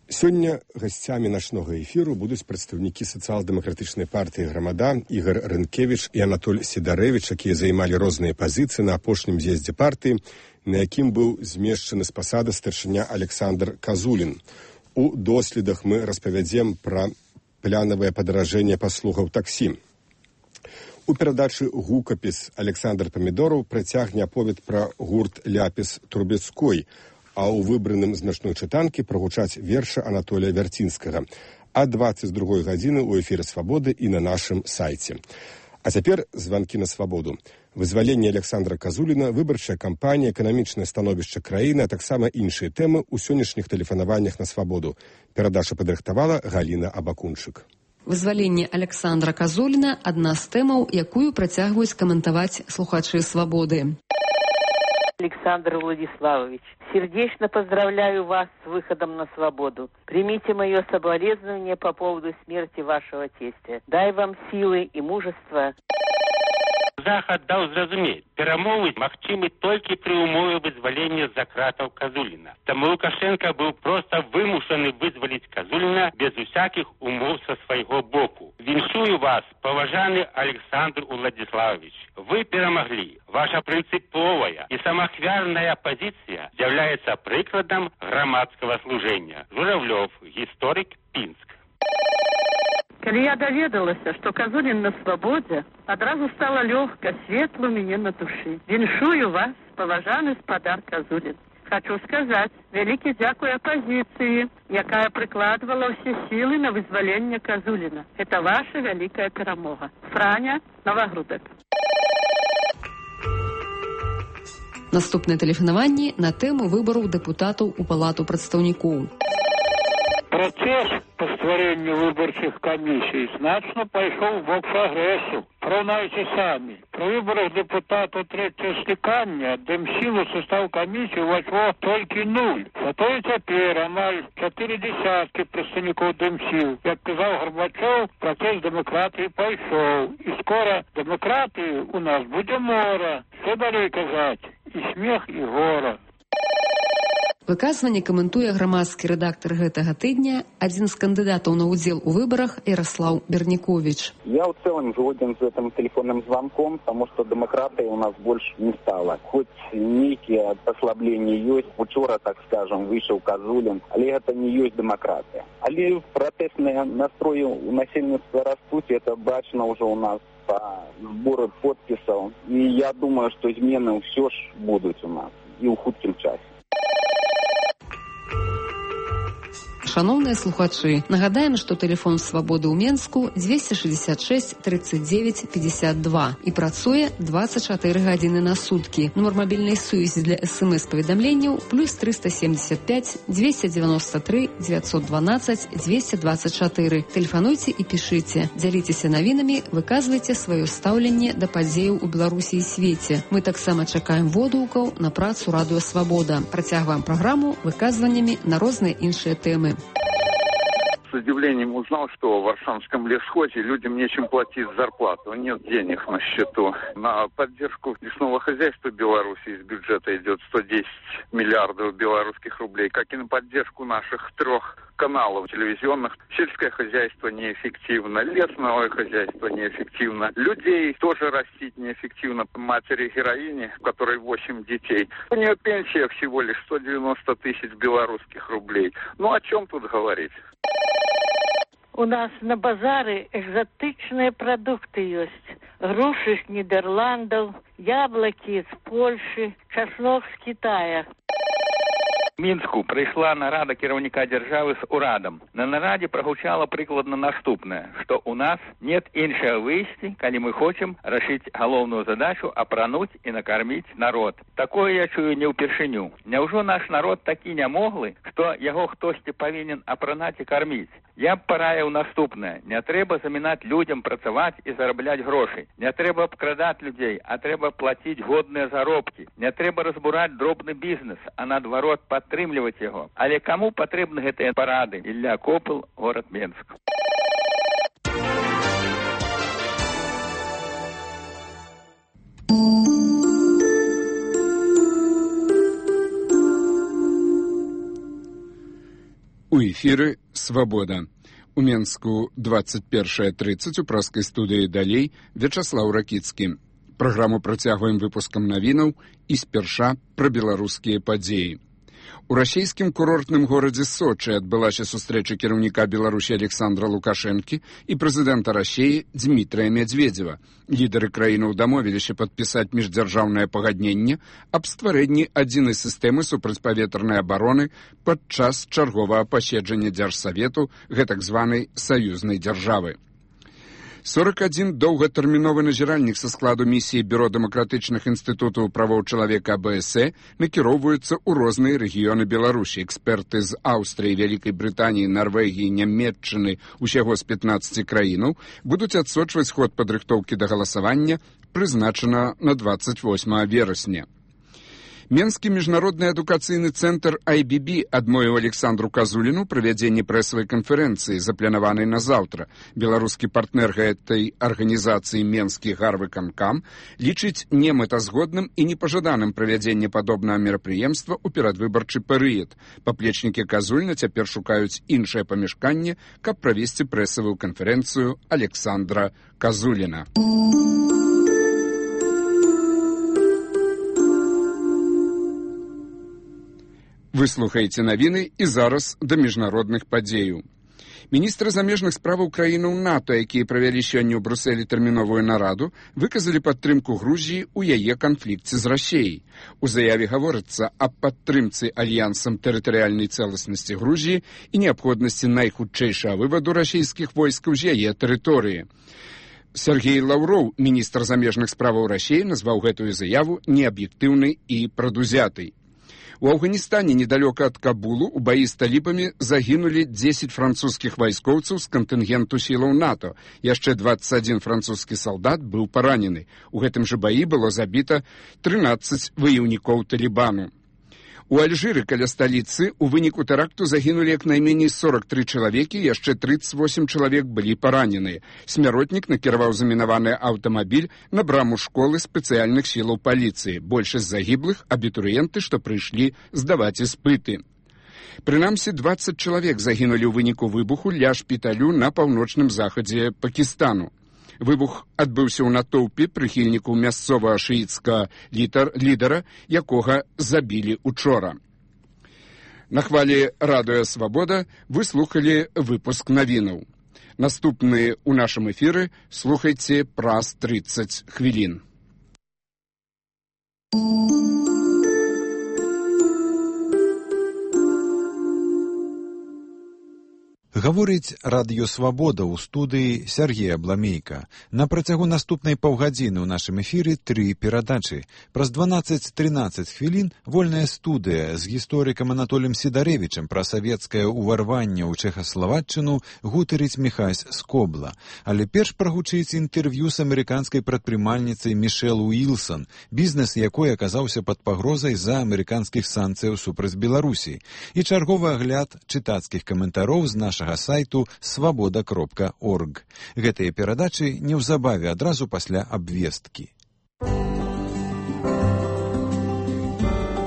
Сёння гасцямі нашнога эфіру будуць прадстаўнікі сацыял-дэмакратычнай партыі «Грамада» Ігар Рынкевіч і Анатоль Сідарэвіч, якія займалі розныя пазіцыі на апошнім з'ездзе партыі, на якім быў змешчаны з пасады старшыня Александр Казулін. У доследах мы распавядзем пра планавае падаражэнне паслугаў таксі. У перадачы «Гукапіс» Александр Памідораў працягне аповед пра гурт «Ляпіс Трубецкой», а ў выбраным з начной чытанкі прагучаць вершы Анатолія Вярцінскага. А 22 гадзіны ў эфіры «Свабоды» і на нашым сайце. А цяпер званкі на свабоду. Вызваленне Александра Казуліна, выбарчая кампанія, эканамічнае становішча краіны, а таксама іншыя тэмы ў сённяшніх тэлефанаваннях на свабоду. Перадача падрыхтавала Галіна Абакунчык. Вызваленне Александра Казуліна – адна з тэмаў, якую працягваюць каментаваць слухачы свабоды. Александр Владиславович, сердечно поздравляю вас с выходом на свободу. Примите мое соболезнование по поводу смерти вашего тестя. Дай вам силы и мужества. Захад даў зразумець, перамовы магчымы толькі пры умове вызвалення з-за кратаў Казуліна. Таму Лукашенко быў проста вымушаны вызваліць Казуліна без усякіх умоў са свайго боку. Віншую вас, паважаны Александр Владиславович. Вы перамаглі. Ваша прынцыповая і самаахвярная пазіцыя з'яўляецца прыкладам грамадскага служэння. Журавлёв, гісторык, Пінск. Калі я даведалася, што Казулін на свабодзе, адразу стала лёгка, светла мне на душы. Віншую вас, паважаны спадар Казулін. Хочу сказаць, вялікі дзякуй апазіцыі, якая прыкладвала ўсе сілы на вызваленне Казуліна. Это ваша вялікая перамога. Франя, Новагрудак. Наступнае тэлефанаванне на тэму выбараў дэпутатаў у палату прадстаўнікоў. Процесс по стваренню выборчих комиссий значно пайшоў в бок прогрессу. Пораўнайце самі. При выборах депутата третьего скликання Демсилу состав комиссии увайшло толькі 0. Зато і цяпер амаль 4 десятки прадстаўнікоў Демсил. Як казаў Горбачев, процесс демократии пайшоў. И скоро демократии у нас будзе мора. Что далей казаць? И смех, и гора. Выказванне каментуе грамадскі рэдактар гэтага тыдня, адзін з кандыдатаў на удзел у выборах Ярослав Берникович. Я в целом згоден с этим телефонным звонком, потому что демократии у нас больше не стало. Хоть некие послабления есть, вчера, так скажем, вышел Казулин, але это не есть демократия. Але протестные настрои у насельництва растут, это бачно уже у нас по сбору подписов. И я думаю, что измены все ж будут у нас и у хуткім часе. Шановныя слухачы, нагадаем, што тэлефон свабоды ў Менску 266 39 52 і працуе 24 гадзіны на суткі. Нумар мабільнай сувязі для СМС-паведамленняў плюс 375 293 912 224. Тэлефануйце і пішыце. Дзяліцеся навінамі, выказвайце сваё стаўленне да падзеяў у Беларусі і свеце. Мы таксама чакаем водгукаў на працу Радыё Свабода. Працягваем праграму выказваннямі на розныя іншыя тэмы. С удивлением узнал, что в Варшавском лесхозе людям нечем платить зарплату. Нет денег на счету. На поддержку лесного хозяйства Беларуси из бюджета идет 110 миллиардов белорусских рублей, как и на поддержку наших 3 каналов телевизионных. Сельское хозяйство неэффективно, лесное хозяйство неэффективно, людей тоже растить неэффективно. Матери-героини, у которой 8 детей, у нее пенсия всего лишь 190 тысяч белорусских рублей. Ну о чем тут говорить? У нас на базары экзотичные продукты есть. Груши с Нидерландов, яблоки из Польши, чеснок с Китая. Мінску прыйшла нарада кіраўніка дзяржавы з урадам. На нарадзе прагучала прыкладна наступнае, што ў нас нет іншага выйсці, калі мы хочам рашыць галоўную задачу апрануць і накарміць народ. Такое я чую не ўпершыню. Няўжо наш народ такі нямоглы, што яго хтосьці павінен апранаць і карміць? Я б параіў наступнае. Не трэба замінаць людзям працаваць і зарабляць грошы. Не трэба абкрадаць людзей, а трэба плаціць годныя заробкі. Не трэба разбураць дробны бізнес, а наадварот падтрымліваць яго. Але каму патрэбны гэтыя парады? Ілля Копыл, горад Менск. У эфіры «Свабода». У Менску 21:30 у праскай студыі «Далей» Вячаслаў Ракіцкі. Праграму працягваем выпускам навінаў і спярша пра беларускія падзеі. У расійскім курортным горадзе Сочы адбылася сустрэча кіраўніка Беларусі Александра Лукашэнкі і прэзідэнта Расіі Дмітрыя Медведзева. Лідары краінаў дамовіліся падпісаць міждзяржаўнае пагадненне аб стварэнні адзінай сістэмы супрацьпаветранай абароны падчас чарговага паседжання Дзяржсавету гэтак званай саюзнай дзяржавы. 41 доўгатэрміновы назіральнік са складу місіі Бюро дэмакратычных інстытутаў правоў чалавека АБСЭ накіроўваюцца ў розныя рэгіёны Беларусі. Эксперты з Аўстрыі, Вялікай Брытаніі, Нарвегіі, Нямметчыны, усяго з 15 краінаў будуць адсочваць ход падрыхтоўкі да галасавання, прызначана на 28 верасня. Менскі міжнародны адукацыйны цэнтр IBB адмовіў Александру Казуліну правядзенне прэсавай канферэнцыі, запланаванай на заўтра. Беларускі партнер гэтай арганізацыі Менскі Гарвыканкам лічыць немэтазгодным і непажаданым правядзенне падобнага мерапрыемства ў перадвыбарчы перыяд. Паплечнікі Казуліна цяпер шукаюць іншае памяшканне, каб правесці прэсавую канферэнцыю Александра Казуліна. Вы слухаеце навіны і зараз да міжнародных падзеяў. Міністры замежных справаў краінаў НАТО, якія правялі сёння ў Брусэлі тэрміновую нараду, выказалі падтрымку Грузіі ў яе канфлікце з Расіяй. У заяве гаворыцца аб падтрымцы альянсам тэрытарыяльнай цэласнасці Грузіі і неабходнасці найхутчэйшага вываду расійскіх войскаў з яе тэрыторыі. Сергей Лаўроў, міністр замежных справаў Расіі, назваў гэтую заяву неаб'ектыўнай і прадузятай. У Афганістане, недалёка ад Кабулу, у баі з талібамі загінулі 10 французскіх вайскоўцаў з кантынгенту сілаў НАТО. Яшчэ 21 французскі салдат быў паранены. У гэтым жа баі было забіта 13 ваяўнікоў талібану. У Альжыры, каля сталіцы, у выніку тэракту загінулі як найменей 43 чалавекі, яшчэ 38 чалавек былі параненыя. Смяротнік накіраваў замінаваны аўтамабіль на браму школы спецыяльных сілаў паліцыі. Большасць загіблых – абітурыенты, што прыйшлі здаваць іспыты. Прынамсі, 20 чалавек загінулі ў выніку выбуху ля шпіталю на паўночным захадзе Пакістану. Выбух адбыўся ў натоўпе прыхільнікаў мясцовага шыіцкага лідара, якога забілі учора. На хвалі радыё «Свабода» вы слухалі выпуск навінаў. Наступны ў нашым эфіры слухайце праз 30 хвілін. Гаворыць радыё «Свабода» ў студыі Сергея Бламейка. На працягу наступнай паўгадзіны ў нашым эфіры 3 перадачы. Праз 12-13 хвілін вольная студыя з гісторыкам Анатоліем Сідарэвічам пра савецкае ўварванне ў Чэхаславаччыну гутарыць Міхась Скобла. Але перш прагучыць інтэрв'ю з амерыканскай прадпрымальніцай Мішэл Уілсон, бізнес якой аказаўся пад пагрозай з-за амерыканскіх санкцыяў супраць Беларусі. І чарговы агляд чытацкіх каментароў з нашага сайту свабода.орг. Гэтыя перадачы неўзабаве адразу пасля абвесткі.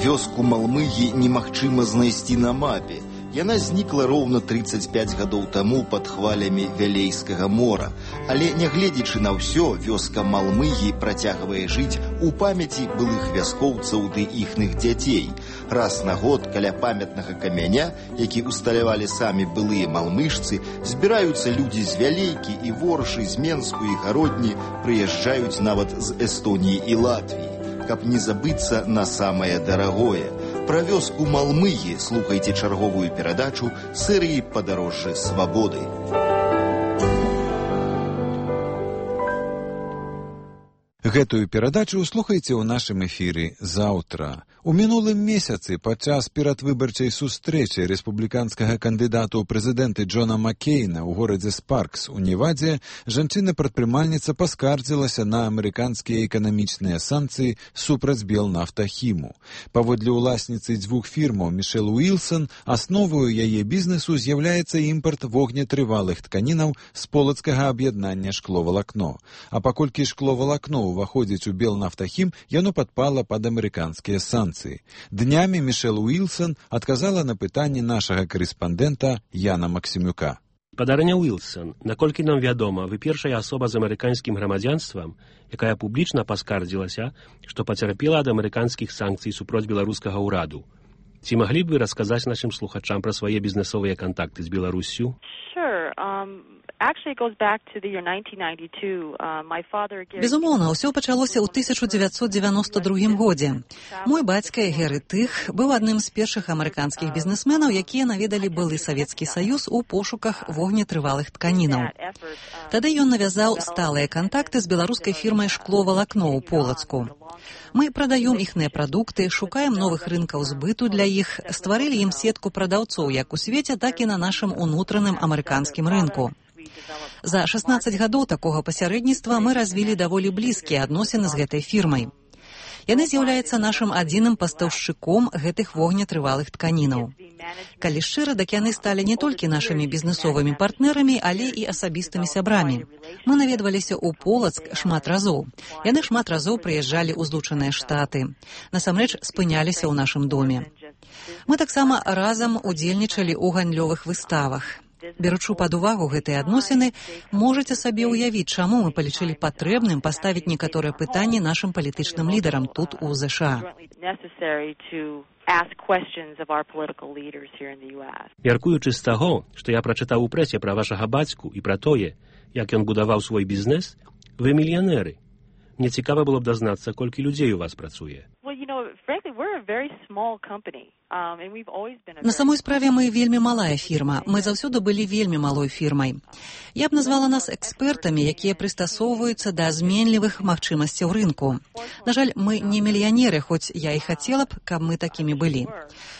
Вёску Малмыгі немагчыма знайсці на мапе. Яна знікла роўна 35 гадоў таму пад хвалямі Вялейскага мора. Але, нягледзячы на ўсё, вёска Малмыгі працягвае жыць у памяці былых вяскоўцаў ды іхных дзяцей. Раз на год каля памятнага камяня, які усталявалі самі былыя малмыжцы, збіраюцца людзі з Вялейкі і Воршы, з Менску і Гародні, прыязджаюць нават з Эстоніі і Латвіі, каб не забыцца на самае дарагое. Пра вёску Малмыгі слухайце чарговую перадачу серыі «Падарожжа свабоды». Гэтую перадачу слухайце ў нашым эфіры заўтра. У мінулым месяцы падчас перадвыбарчай сустрэчы рэспубліканскага кандыдата ў прэзідэнты Джона Маккейна ў горадзе Спаркс у Невадзе жанчына-прадпрымальніца паскардзілася на амерыканскія эканамічныя санкцыі супраць Белнафтахіму. Паводле ўласніцы дзвюх фірмаў Мішэл Уілсон, асновою яе бізнесу з'яўляецца імпарт вогнетрывалых тканінаў з полацкага аб'яднання шкловалакно. А паколькі шкловалакно уваходзіць у Белнафтахім, яно падпала пад амерыканскія санкцыі. Днямі Мішэл Уілсон адказала на пытанне нашага карэспандэнта Яна Максімюка. Падарня Уілсон, наколькі нам вядома, вы першая асоба з амерыканскім грамадзянствам, якая публічна паскардзілася, што пацярпела ад амерыканскіх санкцый супроць беларускага ўраду. Ці маглі б вы расказаць нашым слухачам пра свае бізнесовыя кантакты з Беларуссю? Безумоўна, ўсё пачалося ў 1992 годзе. Мой бацька Геры Тых быў адным з першых амерыканскіх бізнесменаў, якія наведалі былы Савецкі Саюз у пошуках вогнетрывалых тканінаў. Тады ён навязаў сталыя кантакты з беларускай фірмай «Шкловалакно» ў Полацку. Мы прадаем іхныя прадукты, шукаем новых рынкаў збыту для іх, стварылі ім сетку прадаўцоў як у свеце, так і на нашым унутраным амерыканскім рынку. За 16 гадоў такога пасярэдніцтва мы развілі даволі блізкія адносіны з гэтай фірмай. Яны з'яўляюцца нашым адзіным пастаўшчыком гэтых вогнетрывалых тканінаў. Калі шчыра, дак яны сталі не толькі нашымі бізнесовымі партнерамі, але і асабістымі сябрамі. Мы наведваліся ў Полацк шмат разоў. Яны шмат разоў прыязджалі ў Злучаныя Штаты. Насамрэч спыняліся ў нашым доме. Мы таксама разам удзельнічалі ў гандлёвых выставах. Беручы пад увагу гэтыя адносіны, можаце сабе ўявіць, чаму мы палічылі патрэбным паставіць некаторыя пытанні нашым палітычным лідарам тут у ЗША. Мяркуючы з таго, што я прачытаў у прэсе пра вашага бацьку і пра тое, як ён будаваў свой бізнес, вы мільянеры. Мне цікава было б дазнацца, колькі людзей у вас працуе. На самой справе мы вельмі малая фірма. Мы заўсёды былі вельмі малой фірмай. Я б назвала нас экспертамі, якія прыстасоўваюцца да зменлівых магчымасцяў рынку. На жаль, мы не мільянеры, хоць я і хацела б, каб мы такімі былі.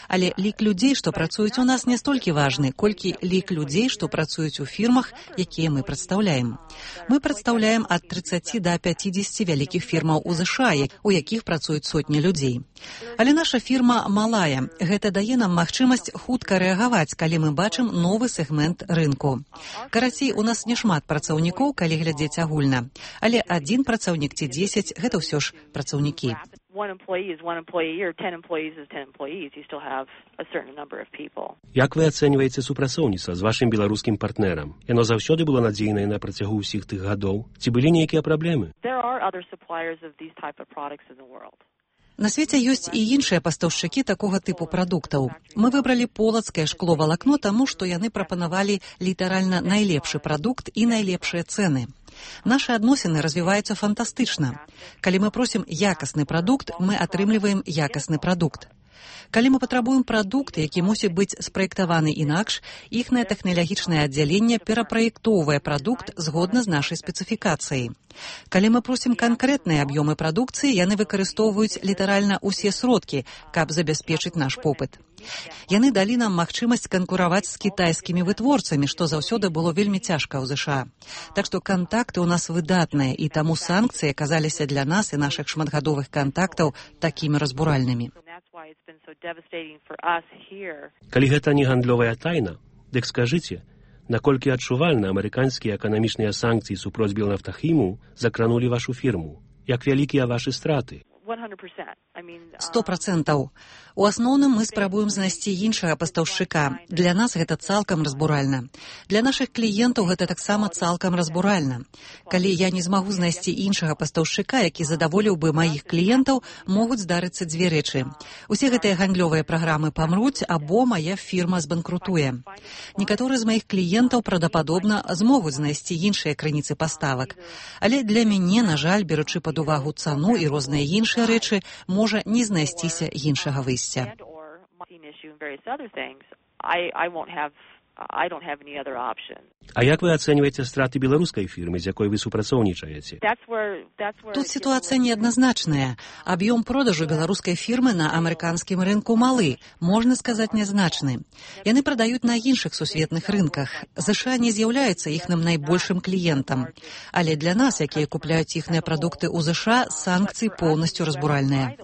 Але лік людзей, што працуюць у нас, не столькі важны, колькі лік людзей, што працуюць у фірмах, якія мы прадстаўляем. Мы прадстаўляем ад 30 да 50 вялікіх фірмаў у ЗША, у якіх працуюць сотні людзей. Але наша фірма малая. Гэта дае нам магчымасць хутка рэагаваць, калі мы бачым новы сегмент рынку. Карацей, у нас не шмат працаўнікоў, калі глядзець агульна. Але адзін працаўнік ці 10 – гэта ўсё ж працаўнікі. Як вы ацэньваеце супрацоўніцтва з вашым беларускім партнерам? Яно заўсёды было надзейнае на працягу ўсіх тых гадоў? Ці былі нейкія праблемы? На свеце ёсць і іншыя пастаўшчыкі такога тыпу прадуктаў. Мы выбралі полацкае шкловалакно, таму што яны прапанавалі літаральна найлепшы прадукт і найлепшыя цэны. Нашы адносіны развіваюцца фантастычна. Калі мы просім якасны прадукт, мы атрымліваем якасны прадукт. Калі мы патрабуем прадукт, які мусіць быць спраектаваны інакш, іхнае тэхналагічнае аддзяленне перапраектоўвае прадукт згодна з нашай спецыфікацыяй. Калі мы просім канкрэтныя аб'ёмы прадукцыі, яны выкарыстоўваюць літаральна ўсе сродкі, каб забяспечыць наш попыт. Яны далі нам магчымасць канкураваць з кітайскімі вытворцамі, што заўсёды было вельмі цяжка ў ЗША. Так што кантакты ў нас выдатныя, і таму санкцыі аказаліся для нас і нашых шматгадовых кантактаў такімі разбуральнымі. Калі гэта не гандлёвая тайна, дык скажыце, наколькі адчувальна амерыканскія эканамічныя санкцыі супроць Белнафтахіму закранулі вашу фірму? Як вялікія вашы страты? 100%. У асноўным мы спрабуем знайсці іншага пастаўшчыка. Для нас гэта цалкам разбуральна. Для нашых кліентаў гэта таксама цалкам разбуральна. Калі я не змагу знайсці іншага пастаўшчыка, які задаволіў бы маіх кліентаў, могуць здарыцца дзве рэчы. Усе гэтыя гандлёвыя праграмы памруць, або мая фірма збанкрутуе. Некаторыя з маіх кліентаў правдападобна змогуць знайсці іншыя крыніцы паставак. Але для мяне, на жаль, беручы пад увагу цану і розныя іншыя рэчы, можа не знайсціся іншага выйсця. issue and various other things, I don't have any other option. А як вы ацэньваеце страты беларускай фірмы, з якой вы супрацоўнічаеце? Тут ситуация неоднозначная. Объем продажу белорусской фирмы на американском рынку малы, можно сказать, незначны. Яны продают на іншых сусветных рынках. США не з'яўляецца іхным найбольшым кліентам. Але для нас, якія купляюць іхныя прадукты ў США, санкцыі поўнасцю разбуральныя.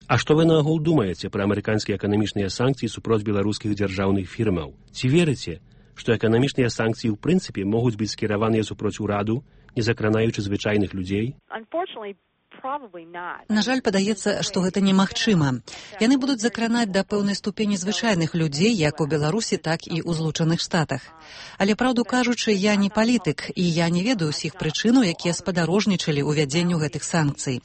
А што вы наогул думаеце пра амерыканскія эканамічныя санкцыі супроць беларускіх дзяржаўных фірмаў? Ці верыце, што эканамічныя санкцыі ў прынцыпе могуць быць скіраваныя супроць ураду, не закранаючы звычайных людзей? На жаль, падаецца, што гэта немагчыма. Яны будуць закранаць да пэўнай ступені звычайных людзей, як у Беларусі, так і ў Злучаных Штатах. Але, праўду кажучы, я не палітык, і я не ведаю ўсіх прычынаў, якія спадарожнічалі ўвядзенню гэтых санкцый.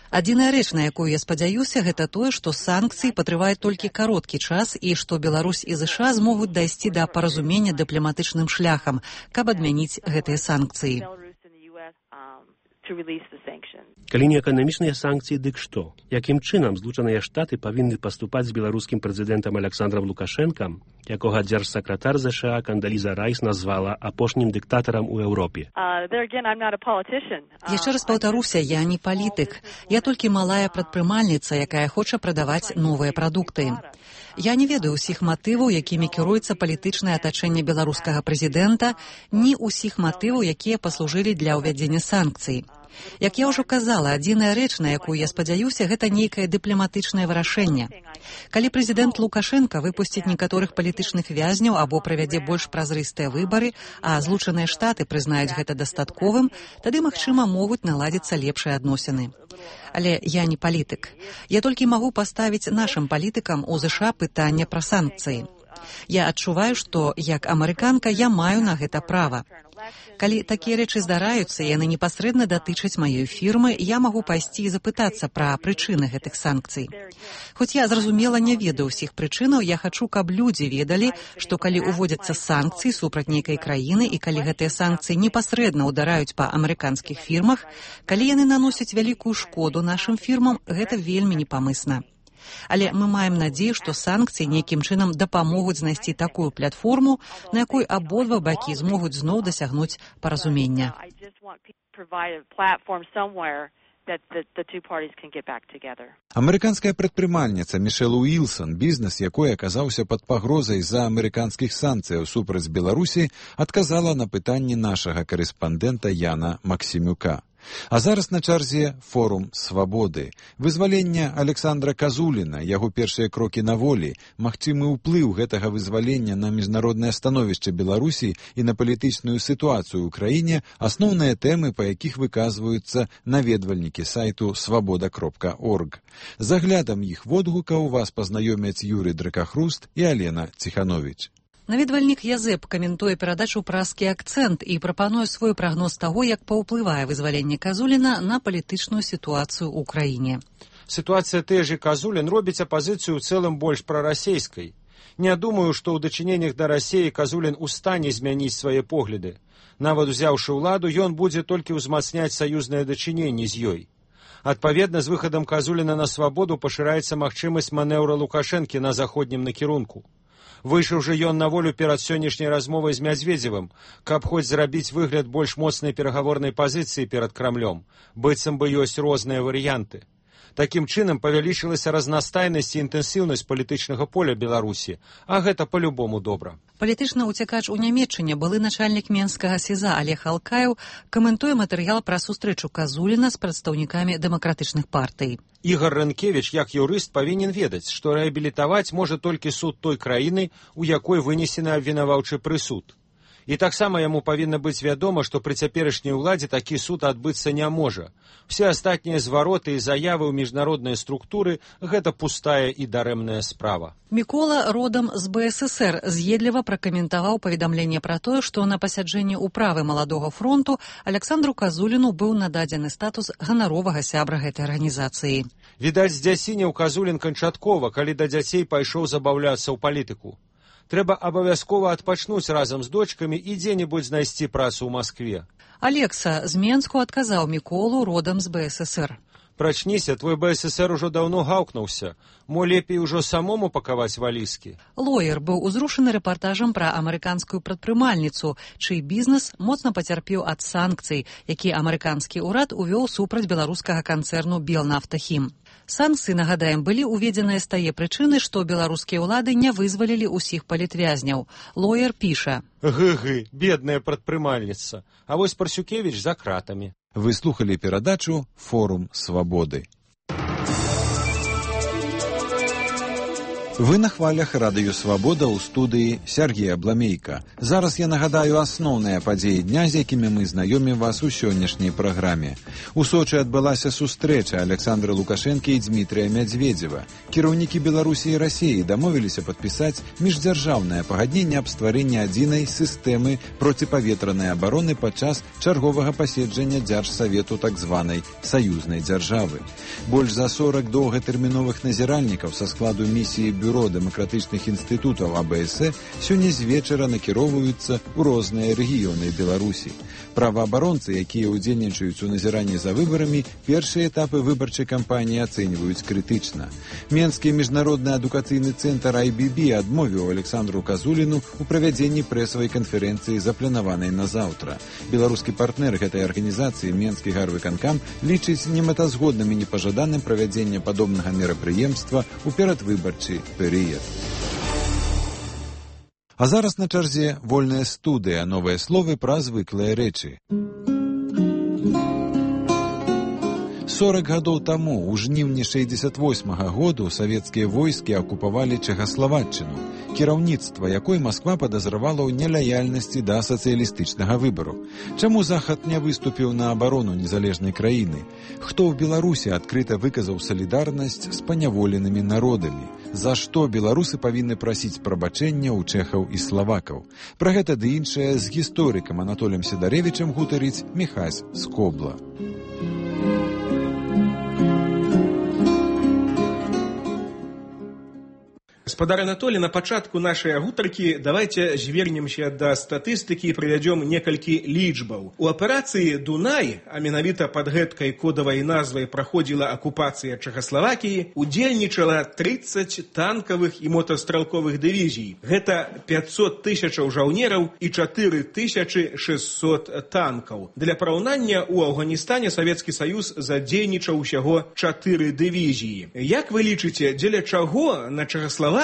Адзіная рэч, на якую я спадзяюся, гэта тое, што санкцыі патрываюць толькі кароткі час і што Беларусь і США змогуць дайсці да паразумення дыпламатычным шляхам, каб адмяніць гэтыя санкцыі. Калі не эканамічныя санкцыі, дык што? Якім чынам Злучаныя Штаты павінны паступаць з беларускім прэзідэнтам Александром Лукашэнкам, якога дзяржсакратар ЗША Кандаліза Райс назвала апошнім дыктатарам у Еўропе? Яшчэ раз паўтаруся, я не палітык. Я толькі малая прадпрымальніца, якая хоча прадаваць новыя прадукты. Я не ведаю ўсіх матываў, якімі кіруецца палітычнае атачэнне беларускага прэзідэнта, ні ўсіх матываў, якія паслужылі для ўвядзення санкцый. Як я ўжо казала, адзіная рэч, на якую я спадзяюся, гэта нейкае дыпламатычнае вырашэнне. Калі прэзідэнт Лукашенка выпусціць некаторых палітычных вязняў або правядзе больш празрыстыя выбары, а Злучаныя Штаты прызнаюць гэта дастатковым, тады, магчыма, могуць наладзіцца лепшыя адносіны. Але я не палітык. Я толькі магу паставіць нашым палітыкам у ЗША пытанне пра санкцыі. Я адчуваю, што, як амерыканка, я маю на гэта права. Калі такія рэчы здараюцца, яны непасрэдна датычаць маёй фірмы, я магу пайсці і запытацца пра прычыны гэтых санкцый. Хоць я, зразумела, не ведаю ўсіх прычынаў, я хачу, каб людзі ведалі, што калі ўводзяцца санкцыі супраць нейкай краіны і калі гэтыя санкцыі непасрэдна ўдараюць па амерыканскіх фірмах, калі яны наносяць вялікую шкоду нашым фірмам, гэта вельмі непамысна. Але мы маем надзею, што санкцыі нейкім чынам дапамогуць знайсці такую платформу, на якой абодва бакі змогуць зноў дасягнуць паразумення. Амерыканская прадпрымальніца Мішэл Уілсон, бізнес якой аказаўся пад пагрозай з-за амерыканскіх санкцыяў супраць Беларусі, адказала на пытанні нашага карэспандэнта Яна Максімюка. А зараз на чарзе форум «Свабоды». Вызвалення Александра Казуліна, яго першыя крокі на волі, магчымы ўплыў гэтага вызвалення на міжнароднае становішча Беларусі і на палітычную сітуацыю ў краіне – асноўныя тэмы, па якіх выказваюцца наведвальнікі сайту свабода.орг. З аглядам іх водгукаў вас пазнаёмяць Юрый Дракахруст і Алена Ціхановіч. Наведвальнік Язэп каментуе перадачу «Празкі акцэнт» і прапануе свой прагноз таго, як паўплывае вызваленне Казуліна на палітычную сітуацыю ў краіне. Сітуацыя той же Казулін робіць апазіцыю ў цэлым больш прарасейскай. Не думаю, што ў дачыненнях да Расіі Казулін у стане змяніць свае погляды. Нават узяўшы ўладу, ён будзе толькі ўзмацняць саюзныя дачыненні з ёй. Адпаведна, з выхадам Казуліна на свабоду пашыраецца магчымасць манеўра Лукашэнкі на заходнім накірунку. Выйшаў жа ён на волю перад сённяшняй размовай з Мядзведзевым, каб хоць зрабіць выгляд больш моцнай перагаворнай пазіцыі перад Крамлём, быццам бы ёсць розныя варыянты. Такім чынам павялічылася разнастайнасць і інтэнсіўнасць палітычнага поля Беларусі, а гэта па-любому добра. Палітычны ўцякач у Нямецчыне, былы начальнік менскага СІЗА Олег Алкаеў, каментуе матэрыял пра сустрэчу Казуліна з прадстаўнікамі дэмакратычных партый. Ігор Рэнкевіч, як юрыст, павінен ведаць, што рэабілітаваць можа толькі суд той краіны, у якой вынесены абвінаваўчы прысуд. І таксама яму павінна быць вядома, што пры цяперашняй уладзе такі суд адбыцца не можа. Все астатнія звароты і заявы ў міжнародныя структуры – гэта пустая і дарэмная справа. Мікола родам з БССР з'едліва пракаментаваў паведамленне пра тое, што на пасяджэнні ўправы маладога фронту Александру Казуліну быў нададзены статус ганаровага сябра гэтай арганізацыі. Відаць, здзясінеў Казулін канчаткова, калі да дзяцей пайшоў забаўляцца ў палітыку. Трэба абавязкова адпачнуць разам з дочкамі і дзе-небудзь знайсці працу ў Маскве. Алекса з Менску адказаў Міколу родам з БССР. Прачніся, твой БССР ужо даўно гаўкнуўся. Мо лепей ужо самому пакаваць валізкі. Лоер быў узрушаны рэпартажам пра амерыканскую прадпрымальніцу, чый бізнес моцна пацярпеў ад санкцый, якія амерыканскі ўрад увёў супраць беларускага канцэрну «Белнафтахім». Санкцыі, нагадаем, былі ўведзеныя з тае прычыны, што беларускія ўлады не вызвалілі ўсіх палітвязняў. Лоер піша: «Гы-гы, бедная прадпрымальніца, а вось Парсюкевіч за кратамі». Вы слухали перадачу «Форум свабоды». Вы на хвалях радыё «Свабода» ў студыі Сергея Бламейка. Зараз я нагадаю асноўныя падзеі дня, з якімі мы знаёмім вас у сённяшняй праграме. У Сочы адбылася сустрэча Александра Лукашэнкі і Дмітрыя Мядзведзева. Кіраўнікі Беларусі і Расіі дамовіліся падпісаць міждзяржаўнае пагадненне аб стварэнні адзінай сістэмы проціпаветранай абароны падчас чарговага паседжання Дзяржсавету так званай саюзнай дзяржавы. Больш за 40 доўгатэрміновых назіральнікаў са складу місіі Бюро дэмакратычных інстытутаў АБС сёння з вечара накіроўваюцца ў розныя рэгіёны Беларусі. Праваабаронцы, якія ўдзельнічаюць у назіранні за выбарамі, першыя этапы выбарчай кампаніі ацэньваюць крытычна. Менскі міжнародны адукацыйны цэнтр IBB адмовіў Александру Казуліну ў правядзенні прэсавай канферэнцыі, запланаванай на заўтра. Беларускі партнер гэтай арганізацыі, Менскі гарвыканкам, лічыць немэтазгодным і непажаданым правядзення падобнага мерапрыемства ў перадвыбарчы перыяд. А зараз на чарзе вольная студыя, новыя словы пра звыклыя рэчы. 40 гадоў таму, у жніўні 68-го году, савецкія войскі акупавалі Чэхаславаччыну, кіраўніцтва якой Масква падазравала ў нелаяльнасці да сацыялістычнага выбару. Чаму Захад не выступіў на абарону незалежнай краіны? Хто ў Беларусі адкрыта выказаў салідарнасць з паняволенымі народамі? За што беларусы павінны прасіць прабачэння ў чэхаў і славакаў? Пра гэта ды іншае з гісторыкам Анатолем Сідарэвічам гутарыць Міхась Скобла. Гаспадар Анатолий, на пачатку нашай гутаркі давайте звернемся да статыстыкі і прывядзём некалькі лічбаў. У аперацыі «Дунай», а менавіта пад гэткай кодавай назвай праходзіла акупацыя Чэхаславакіі, удзельнічала 30 танкавых і мотастралковых дывізій. Гэта 500 тысячаў жаўнераў і 4600 танкаў. Для параўнання, у Афганістане Савецкі Саюз задзейнічаў усяго 4 дывізіі. Як вы лічыце, дзеля чаго на Чэхаславакію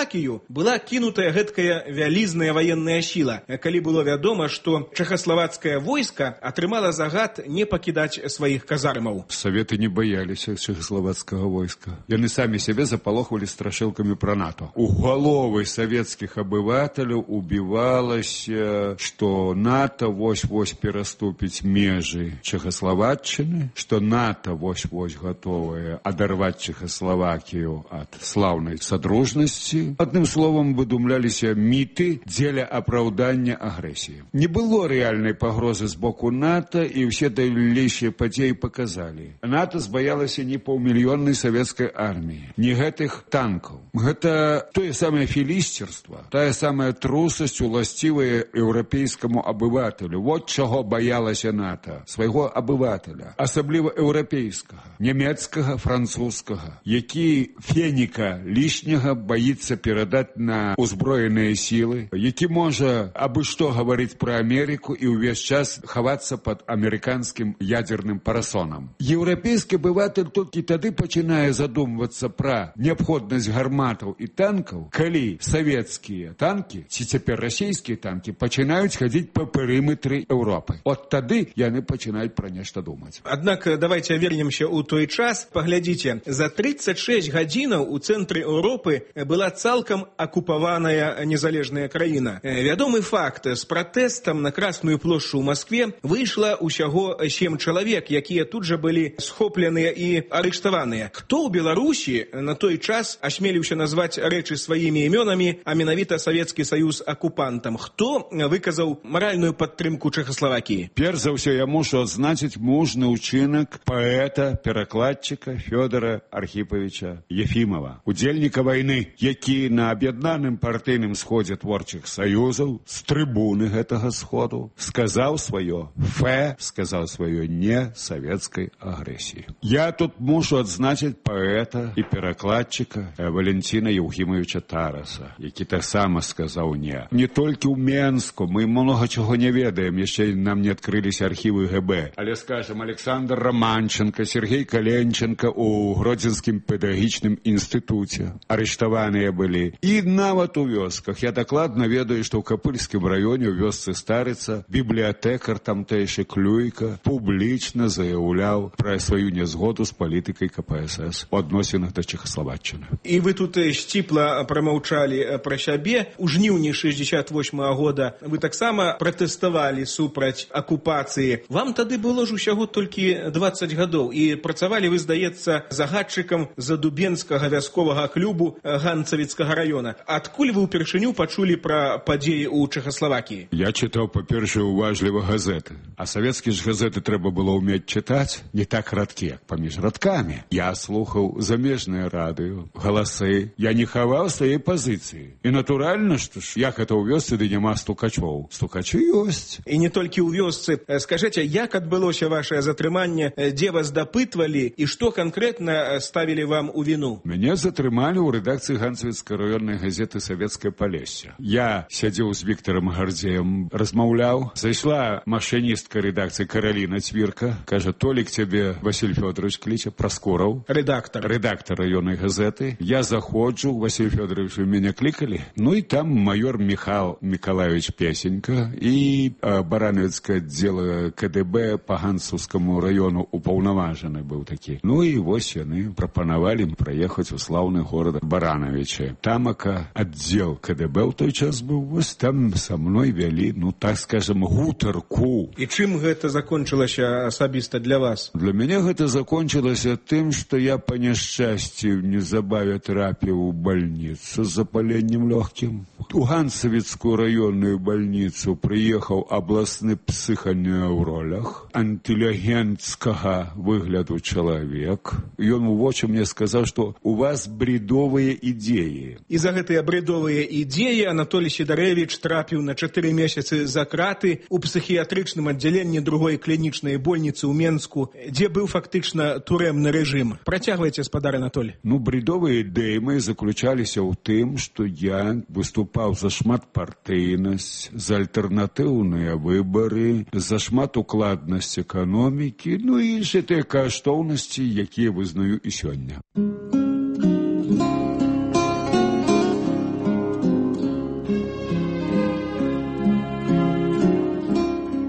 была кінутая гэткая вялізная ваенная сіла, калі было вядома, што чэхаславацкае войска атрымала загад не пакідаць сваіх казармаў? Саветы не баяліся чэхаславацкага войска. Яны самі сябе запалохвалі страшылкамі пра НАТО. У галовы савецкіх абывателяў убівалася, што НАТО вось-вось пераступіць межы Чэхаславаччыны, што НАТО вось-вось гатовае адарваць Чэхаславакію ад слаўнай садружнасці. Адным словам, выдумляліся міты дзеля апраўдання агрэсіі. Не было рэальнай пагрозы з боку НАТО, і ўсе дальнейшыя падзеі паказалі. НАТО збаялася не паўмільённай савецкай арміі, не гэтых танкаў. Гэта тое самае філісцерства, тая самая трусасць, уласцівая еўрапейскаму абывателю. Вот чаго баялася НАТО, свайго абывателя, асабліва еўрапейскага, нямецкага, французскага, які феніка лішняга баіцца перадаць на ўзброеныя сілы, які можа абы што гаварыць пра Амерыку і ўвесь час хавацца пад амерыканскім ядзерным парасонам. Еўрапейскі абыватель толькі тады пачынае задумвацца пра неабходнасць гарматаў і танкаў, калі савецкія танкі, ці цяпер расійскія танкі, пачынаюць хадзіць па перыметры Еўропы. От тады яны пачынаюць пра нешта думаць. Аднак давайте вернемся ў той час. Паглядзіце, за 36 гадзінаў у цэнтры Еўропы была цалкам акупаваная незалежная краіна. Вядомы факт, з пратэстам на Красную плошчу ў Маскве выйшла ўсяго 7 чалавек, якія тут жа былі схопленыя і арыштаваныя. Хто ў Беларусі на той час асмеліўся назваць рэчы сваімі імёнамі, а менавіта Савецкі Саюз акупантам? Хто выказаў маральную падтрымку Чэхаславакіі? Перш за ўсё я мушу адзначыць мужны ўчынак паэта, перакладчыка Фёдора Архіпавіча Ефімова, удзельніка вайны, які які на аб'яднаным партыйным сходзе творчых саюзаў з трыбуны гэтага сходу сказаў сваё фэ, сказаў сваё не савецкай агрэсіі. Я тут мушу адзначыць паэта і перакладчыка Валентина Еўгімовича Тараса, які таксама сказаў не. Не толькі ў Менску, мы многа чаго не ведаем, яшчэ нам не адкрыліся архівы ГБ. Але, скажем, Александр Романченко, Сергей Каленченко у Гродзенскім педагагічным інстытуце арыштаваныя былі. І нават у вёсках. Я дакладна ведаю, што ў Капыльскім раёне ў вёсцы Старыца бібліятэкар тамтэйшы Клюйка публічна заяўляў пра сваю нязгоду з палітыкай КПСС у адносінах да Чехаславаччыны. І вы тут сціпла прамаўчалі пра сябе. У жніўні 68-го года вы таксама пратэставалі супраць акупацыі. Вам тады было ж усяго толькі 20 гадоў, і працавалі вы, здаецца, загадчыкам Задубенскага вясковага клубу Ганцавіцкага раёна. Адкуль вы ўпершыню пачулі пра падзеі ў Чэхаславакіі? Я чытаў, па-першае, уважліва газеты. А савецкія ж газеты трэба было ўмець чытаць не так радкі, як паміж радкамі. Я слухаў замежнае радыё, галасы. Я не хаваў свае пазіцыі. І натуральна, што ж, як гэта ў вёсцы, ды няма стукачоў. Стукачы ёсць. І не толькі ў вёсцы. Скажыце, як адбылося вашае затрыманне, дзе вас дапытвалі і што канкрэтна ставілі вам у віну? Мяне затрымалі ў рэдакцыі Ганцавіцкай раённай газеты «Савецкае Палессе». Я сядзеў з Віктарам Гардзеем, размаўляў. Зайшла машыністка рэдакцыі Караліна Цвірка. Кажа, Толік цябе Василь Фёдорович кліча, Праскураў. Рэдактар раённай газеты. Я заходжу, Василь Фёдорович, вы мяне клікалі? Ну і там майор Михал Миколаевич Песенька і Барановецкае аддзела КДБ па Ганцаўскаму раёну упаўнаважаны быў такі. Ну і вось яны прапанавалі праехаць у слаўны горад Барановича. Тамака аддзел КДБ ў той час быў, вось там са мной вялі, ну так скажем, гутарку. І чым гэта закончылася асабіста для вас? Для мяне гэта закончылася тым, што я па няшчасці неўзабаве трапіў у бальніцу з запаленнем лёгкім. У Ганцавіцкую раённую бальніцу прыехаў абласны псіханеўролог, інтэлігенцкага выгляду чалавек. Ён у вочы мне сказаў, што у вас бредовыя ідеі. І за гэтыя бредовыя ідеі Анатолій Сідарэвіч трапіў на 4 месяцы за краты у псіхіятрычным аддзяленні другой клінічнай больніцы ў Менску, дзе быў фактычна турэмны рэжым. Працягвайце, спадар Анатолій. Ну, бредовыя ідэі мои заключаліся ў тым, што я выступаў за шматпартыйнасць, за альтэрнатыўныя выбары, за шматукладнасць эканомікі, ну і іншыя тыя каштоўнасці, якія вызнаю і сёння.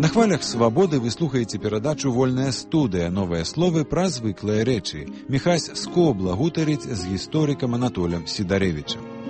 На хвалях свабоды вы слухаеце перадачу «Вольная студыя. Новыя словы пра звыклыя рэчы». Міхась Скобла гутарыць з гісторыкам Анатолем Сідарэвічам.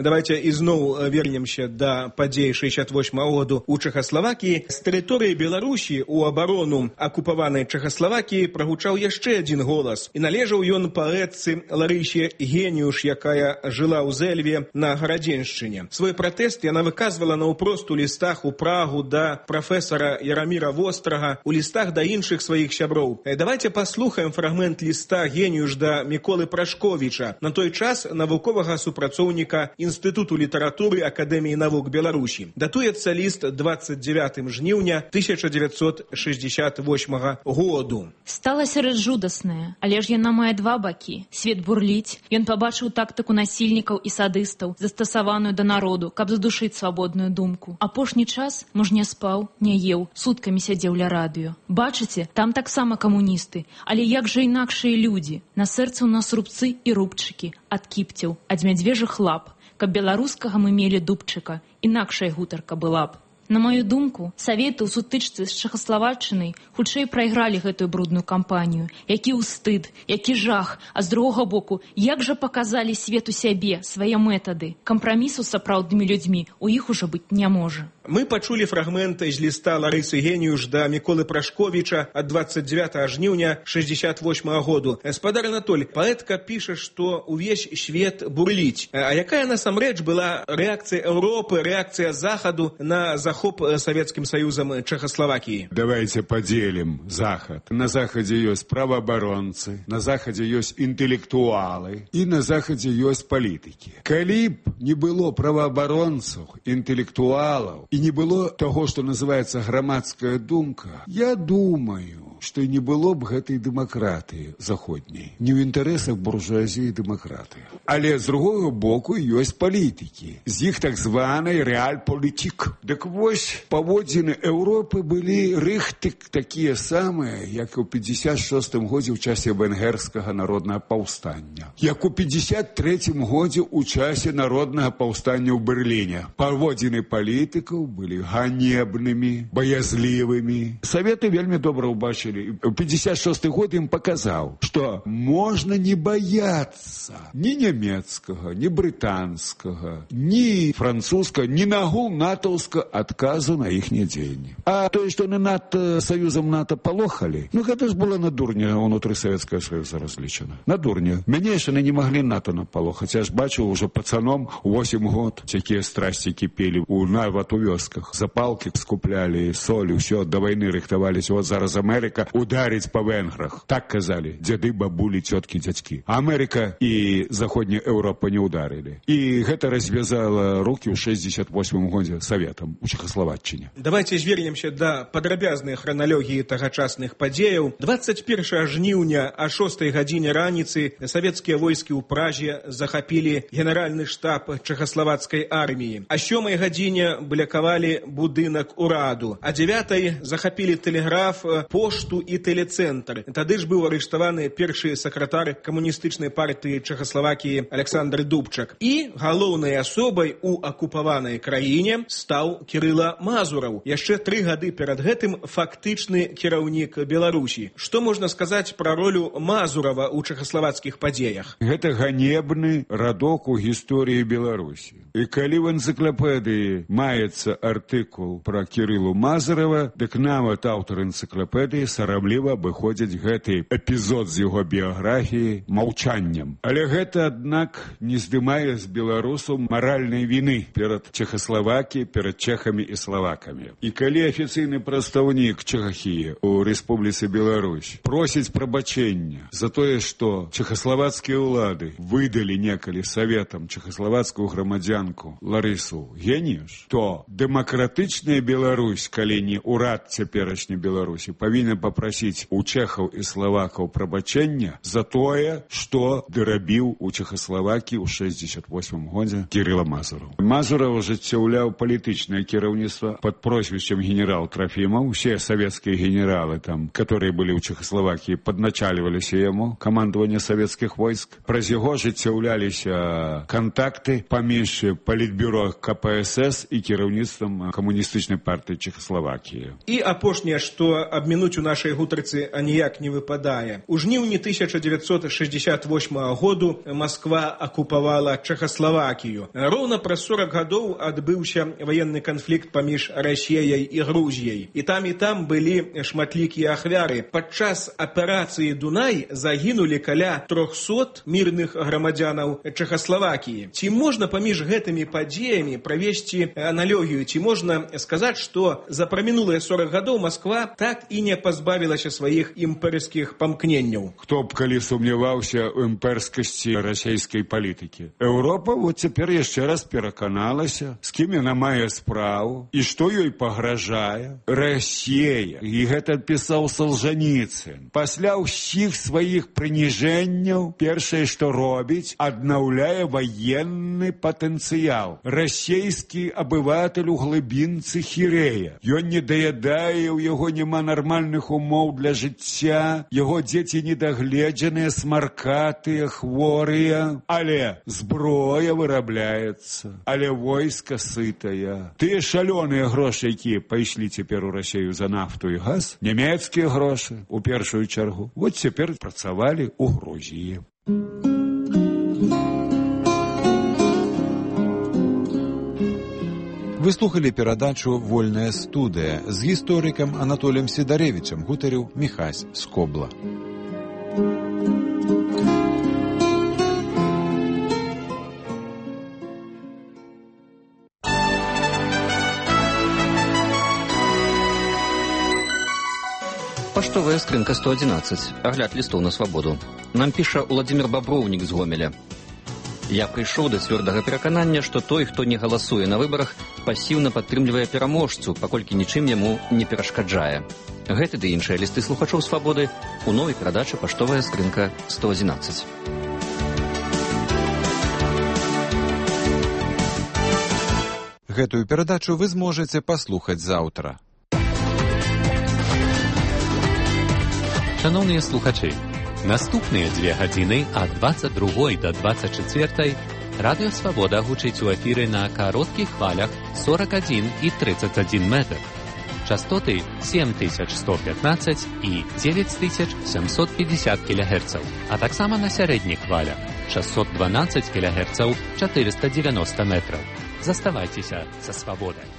Давайте ізноў вернемся да падзей 68-го году ў Чэхаславакіі. З тэрыторыі Беларусі ў абарону акупаванай Чэхаславакіі прагучаў яшчэ адзін голас. І належаў ён паэтцы Ларысе Геніуш, якая жыла ў Зэльве на Гарадзеншчыне. Свой пратэст яна выказвала наўпрост у лістах у Прагу да прафесара Яраміра Вострага, у лістах да іншых сваіх сяброў. Давайте паслухаем фрагмент ліста Геніуш да Міколы Прашковіча, на той час навуковага супрацоўніка Інстытуту літаратуры Акадэміі навук Беларусі. Датуецца ліст 29 жніўня 1968 году. Стала сярод жудасная, але ж яна мае два бакі. Свет бурліць, ён пабачыў тактыку насільнікаў і садыстаў, застасаваную да народу, каб задушыць свабодную думку. Апошні час муж не спаў, не еў, суткамі сядзеў ля радыё. Бачыце, там таксама камуністы, але як жа інакшыя людзі. На сэрцы ў нас рубцы і рубчыкі, ад кіпцяў, ад мядзвежых лап. Каб беларускага мы мелі дубчыка, інакшая гутарка была б. На маю думку, саветы ў сутычцы з Чэхаславаччынай хутчэй прайгралі гэтую брудную кампанію. Які ўстыд, які жах, а з другога боку, як жа паказалі свету сябе, свае метады. Кампрамісу з сапраўднымі людзьмі у іх ужо быць не можа. Мы пачулі фрагменты з ліста Ларысы Геніуш да Міколы Прашковіча ад 29 жніўня 68 году. Спадар Анатоль, паэтка піша, што увесь свет бурліць. А якая насамрэч была рэакцыя Еўропы, рэакцыя Захаду на заход захоп Советским Союзом Чехословакии? Давайте поделим Захад. На Заходе есть правооборонцы, на Заходе есть интеллектуалы и на Заходе есть политики. Калі б не было правооборонцев, интеллектуалов и не было того, что называется громадская думка, я думаю, что не было б гэтай дэмакратыі заходняй. Не ў інтарэсах буржуазіі і дэмакратыі. Але з другого боку ёсць палітыкі. З іх так званай рэальпалітик. Дык вось паводзіны Еўропы былі рыхты такія самыя, як у 56-м годзе ў часе венгерскага народнага паўстання. Як у 53-м годзе ў часе народнага паўстання ў Берліне. Паводзіны палітыкаў былі ганебнымі, баязлівымі. Саветы вельмі добра ўбачылі. 56 год им показал, что можно не бояться ни немецкого, ни британского, ни французского, ни нагул натовского отказу на их дзеянні. А то, что они над Союзом НАТО полохали, ну это ж было на дурня внутри Советского Союза различено. На дурня. Мяне яшчэ не могли НАТО наполохать. Я ж бачу уже пацаном 8 год, такие страсти кипели нават у вёсках. Запалки скупляли, соль, все, до войны рыхтовались. Вот зараз Америка ударить по венграх. Так казали деды, бабули, тетки, дядьки. А Америка и Заходняя Европа не ударили. И это развязало руки в 68 году Советам у Чехословаччине. Давайте звернемся до падрабязнай храналогіі тагачасных падзеяў. 21 жніўня о 6 гадзіне раніцы савецкія войскі ў Праже захапілі генеральны штаб чехословацкай арміі. О 7 гадзіне блякавалі будынак ураду. О 9 захапілі тэлеграф, пошту і тэлецэнтр. Тады ж быў арыштаваны першы сакратар камуністычнай партыі Чехословакіі Александр Дубчак. І галоўнай асобай у акупаванай краіне стаў Кірыла Мазураў. Яшчэ 3 гады перад гэтым фактычны кіраўнік Беларусі. Што можна сказаць пра ролю Мазурава ў чэхаславацкіх падзеях? Гэта ганебны радок у гісторыі Беларусі. І калі в энцыклапедыі маецца артыкул пра Кірылу Мазурава, дык нават аўтар энцыклапедыі сарамліва абыходзіць гэты эпізод з яго біяграфіі маўчаннем. Але гэта, аднак, не здымае з беларусаў маральнай віны перад Чехаславакіяй, перад чэхамі і славакамі. І калі афіцыйны прадстаўнік Чэхіі ў Рэспубліцы Беларусь просіць прабачэння за тое, што чэхаславацкія ўлады выдалі некалі саветам чэхаславацкую грамадзянку Ларысу Геніш, то дэмакратычная Беларусь, калі не ўрад цяперашняй Беларусі, павінен папрасіць у чэхаў і славакаў прабачэння за тое, што дарабіў у Чэхаславакіі ў 68 годзе Кірыла Мазураў. Мазураў ажыццяўляў палітычнае кіраўніцтва под прозвищем генерал Трофимов. Все советские генералы, там, которые были у Чехословакии, подначаливались ему, командование советских войск. Праз яго ажыццяўляліся контакты паміж Политбюро КПСС и кіраўніцтвам камуністычнай партыі Чехословакии. И апошняе, што абмінуць у нашай гутарцы аніяк не выпадае. У жніўні 1968 году Москва акупавала Чехословакію. Роўна праз 40 гадоў адбыўся военный конфликт паміж Расіяй і Грузіяй. І там былі шматлікія ахвяры. Падчас аперацыі «Дунай» загінулі каля 300 мірных грамадзянаў Чэхаславакіі. Ці можна паміж гэтымі падзеямі правесці аналогію? Ці можна сказаць, што за прамінулыя 40 гадоў Москва так і не пазбавілася сваіх імперскіх памкненняў? Хто б калі сумняваўся ў імперскасці расійскай палітыкі? Еўропа вот цяпер яшчэ раз пераканалася, з кім яна мае справу і што ёй пагражае. Расія. І гэта пісаў Солжаніцын. Пасля ўсіх сваіх прыніжэнняў першае, што робіць, аднаўляе ваенны патэнцыял. Расійскі абыватель у глыбінцы хірэе. Ён не даядае, у яго няма нармальных умоў для жыцця, яго дзеці недагледжаныя, смаркатыя, хворыя. Але зброя вырабляецца, але войска сытая. Тыя шалёныя грошы, якія пайшлі цяпер у Расію за нафту і газ, нямецкія грошы, у першую чаргу, вот цяпер працавалі ў Грузіі. Вы слухали перадачу «Вольная студыя». З гісторыкам Анатоліем Сідарэвічам гутарыў Міхась Скобла. Паштовая скрынка 111. Агляд лістоў на свабоду. Нам піша Владимир Баброўнік з Гомеля. Я прыйшоў да цвёрдага пераканання, што той, хто не галасуе на выбарах, пасіўна падтрымлівае пераможцу, паколькі нічым яму не перашкаджае. Гэты ды іншыя лісты слухачоў свабоды у новай перадачы «Паштовая скрынка 111». Гэтую перадачу вы зможаце паслухаць заўтра. Шановні слухачі, наступныя 2 гадзіны ад 22 до 24 Радыё Свабода гучыць у эфіры на кароткіх хвалях 41 і 31 метр. Частоты 7115 і 9750 кГц, а таксама на сярэдніх хвалях 612 кГц 490 метраў. Заставайцеся са свабодай.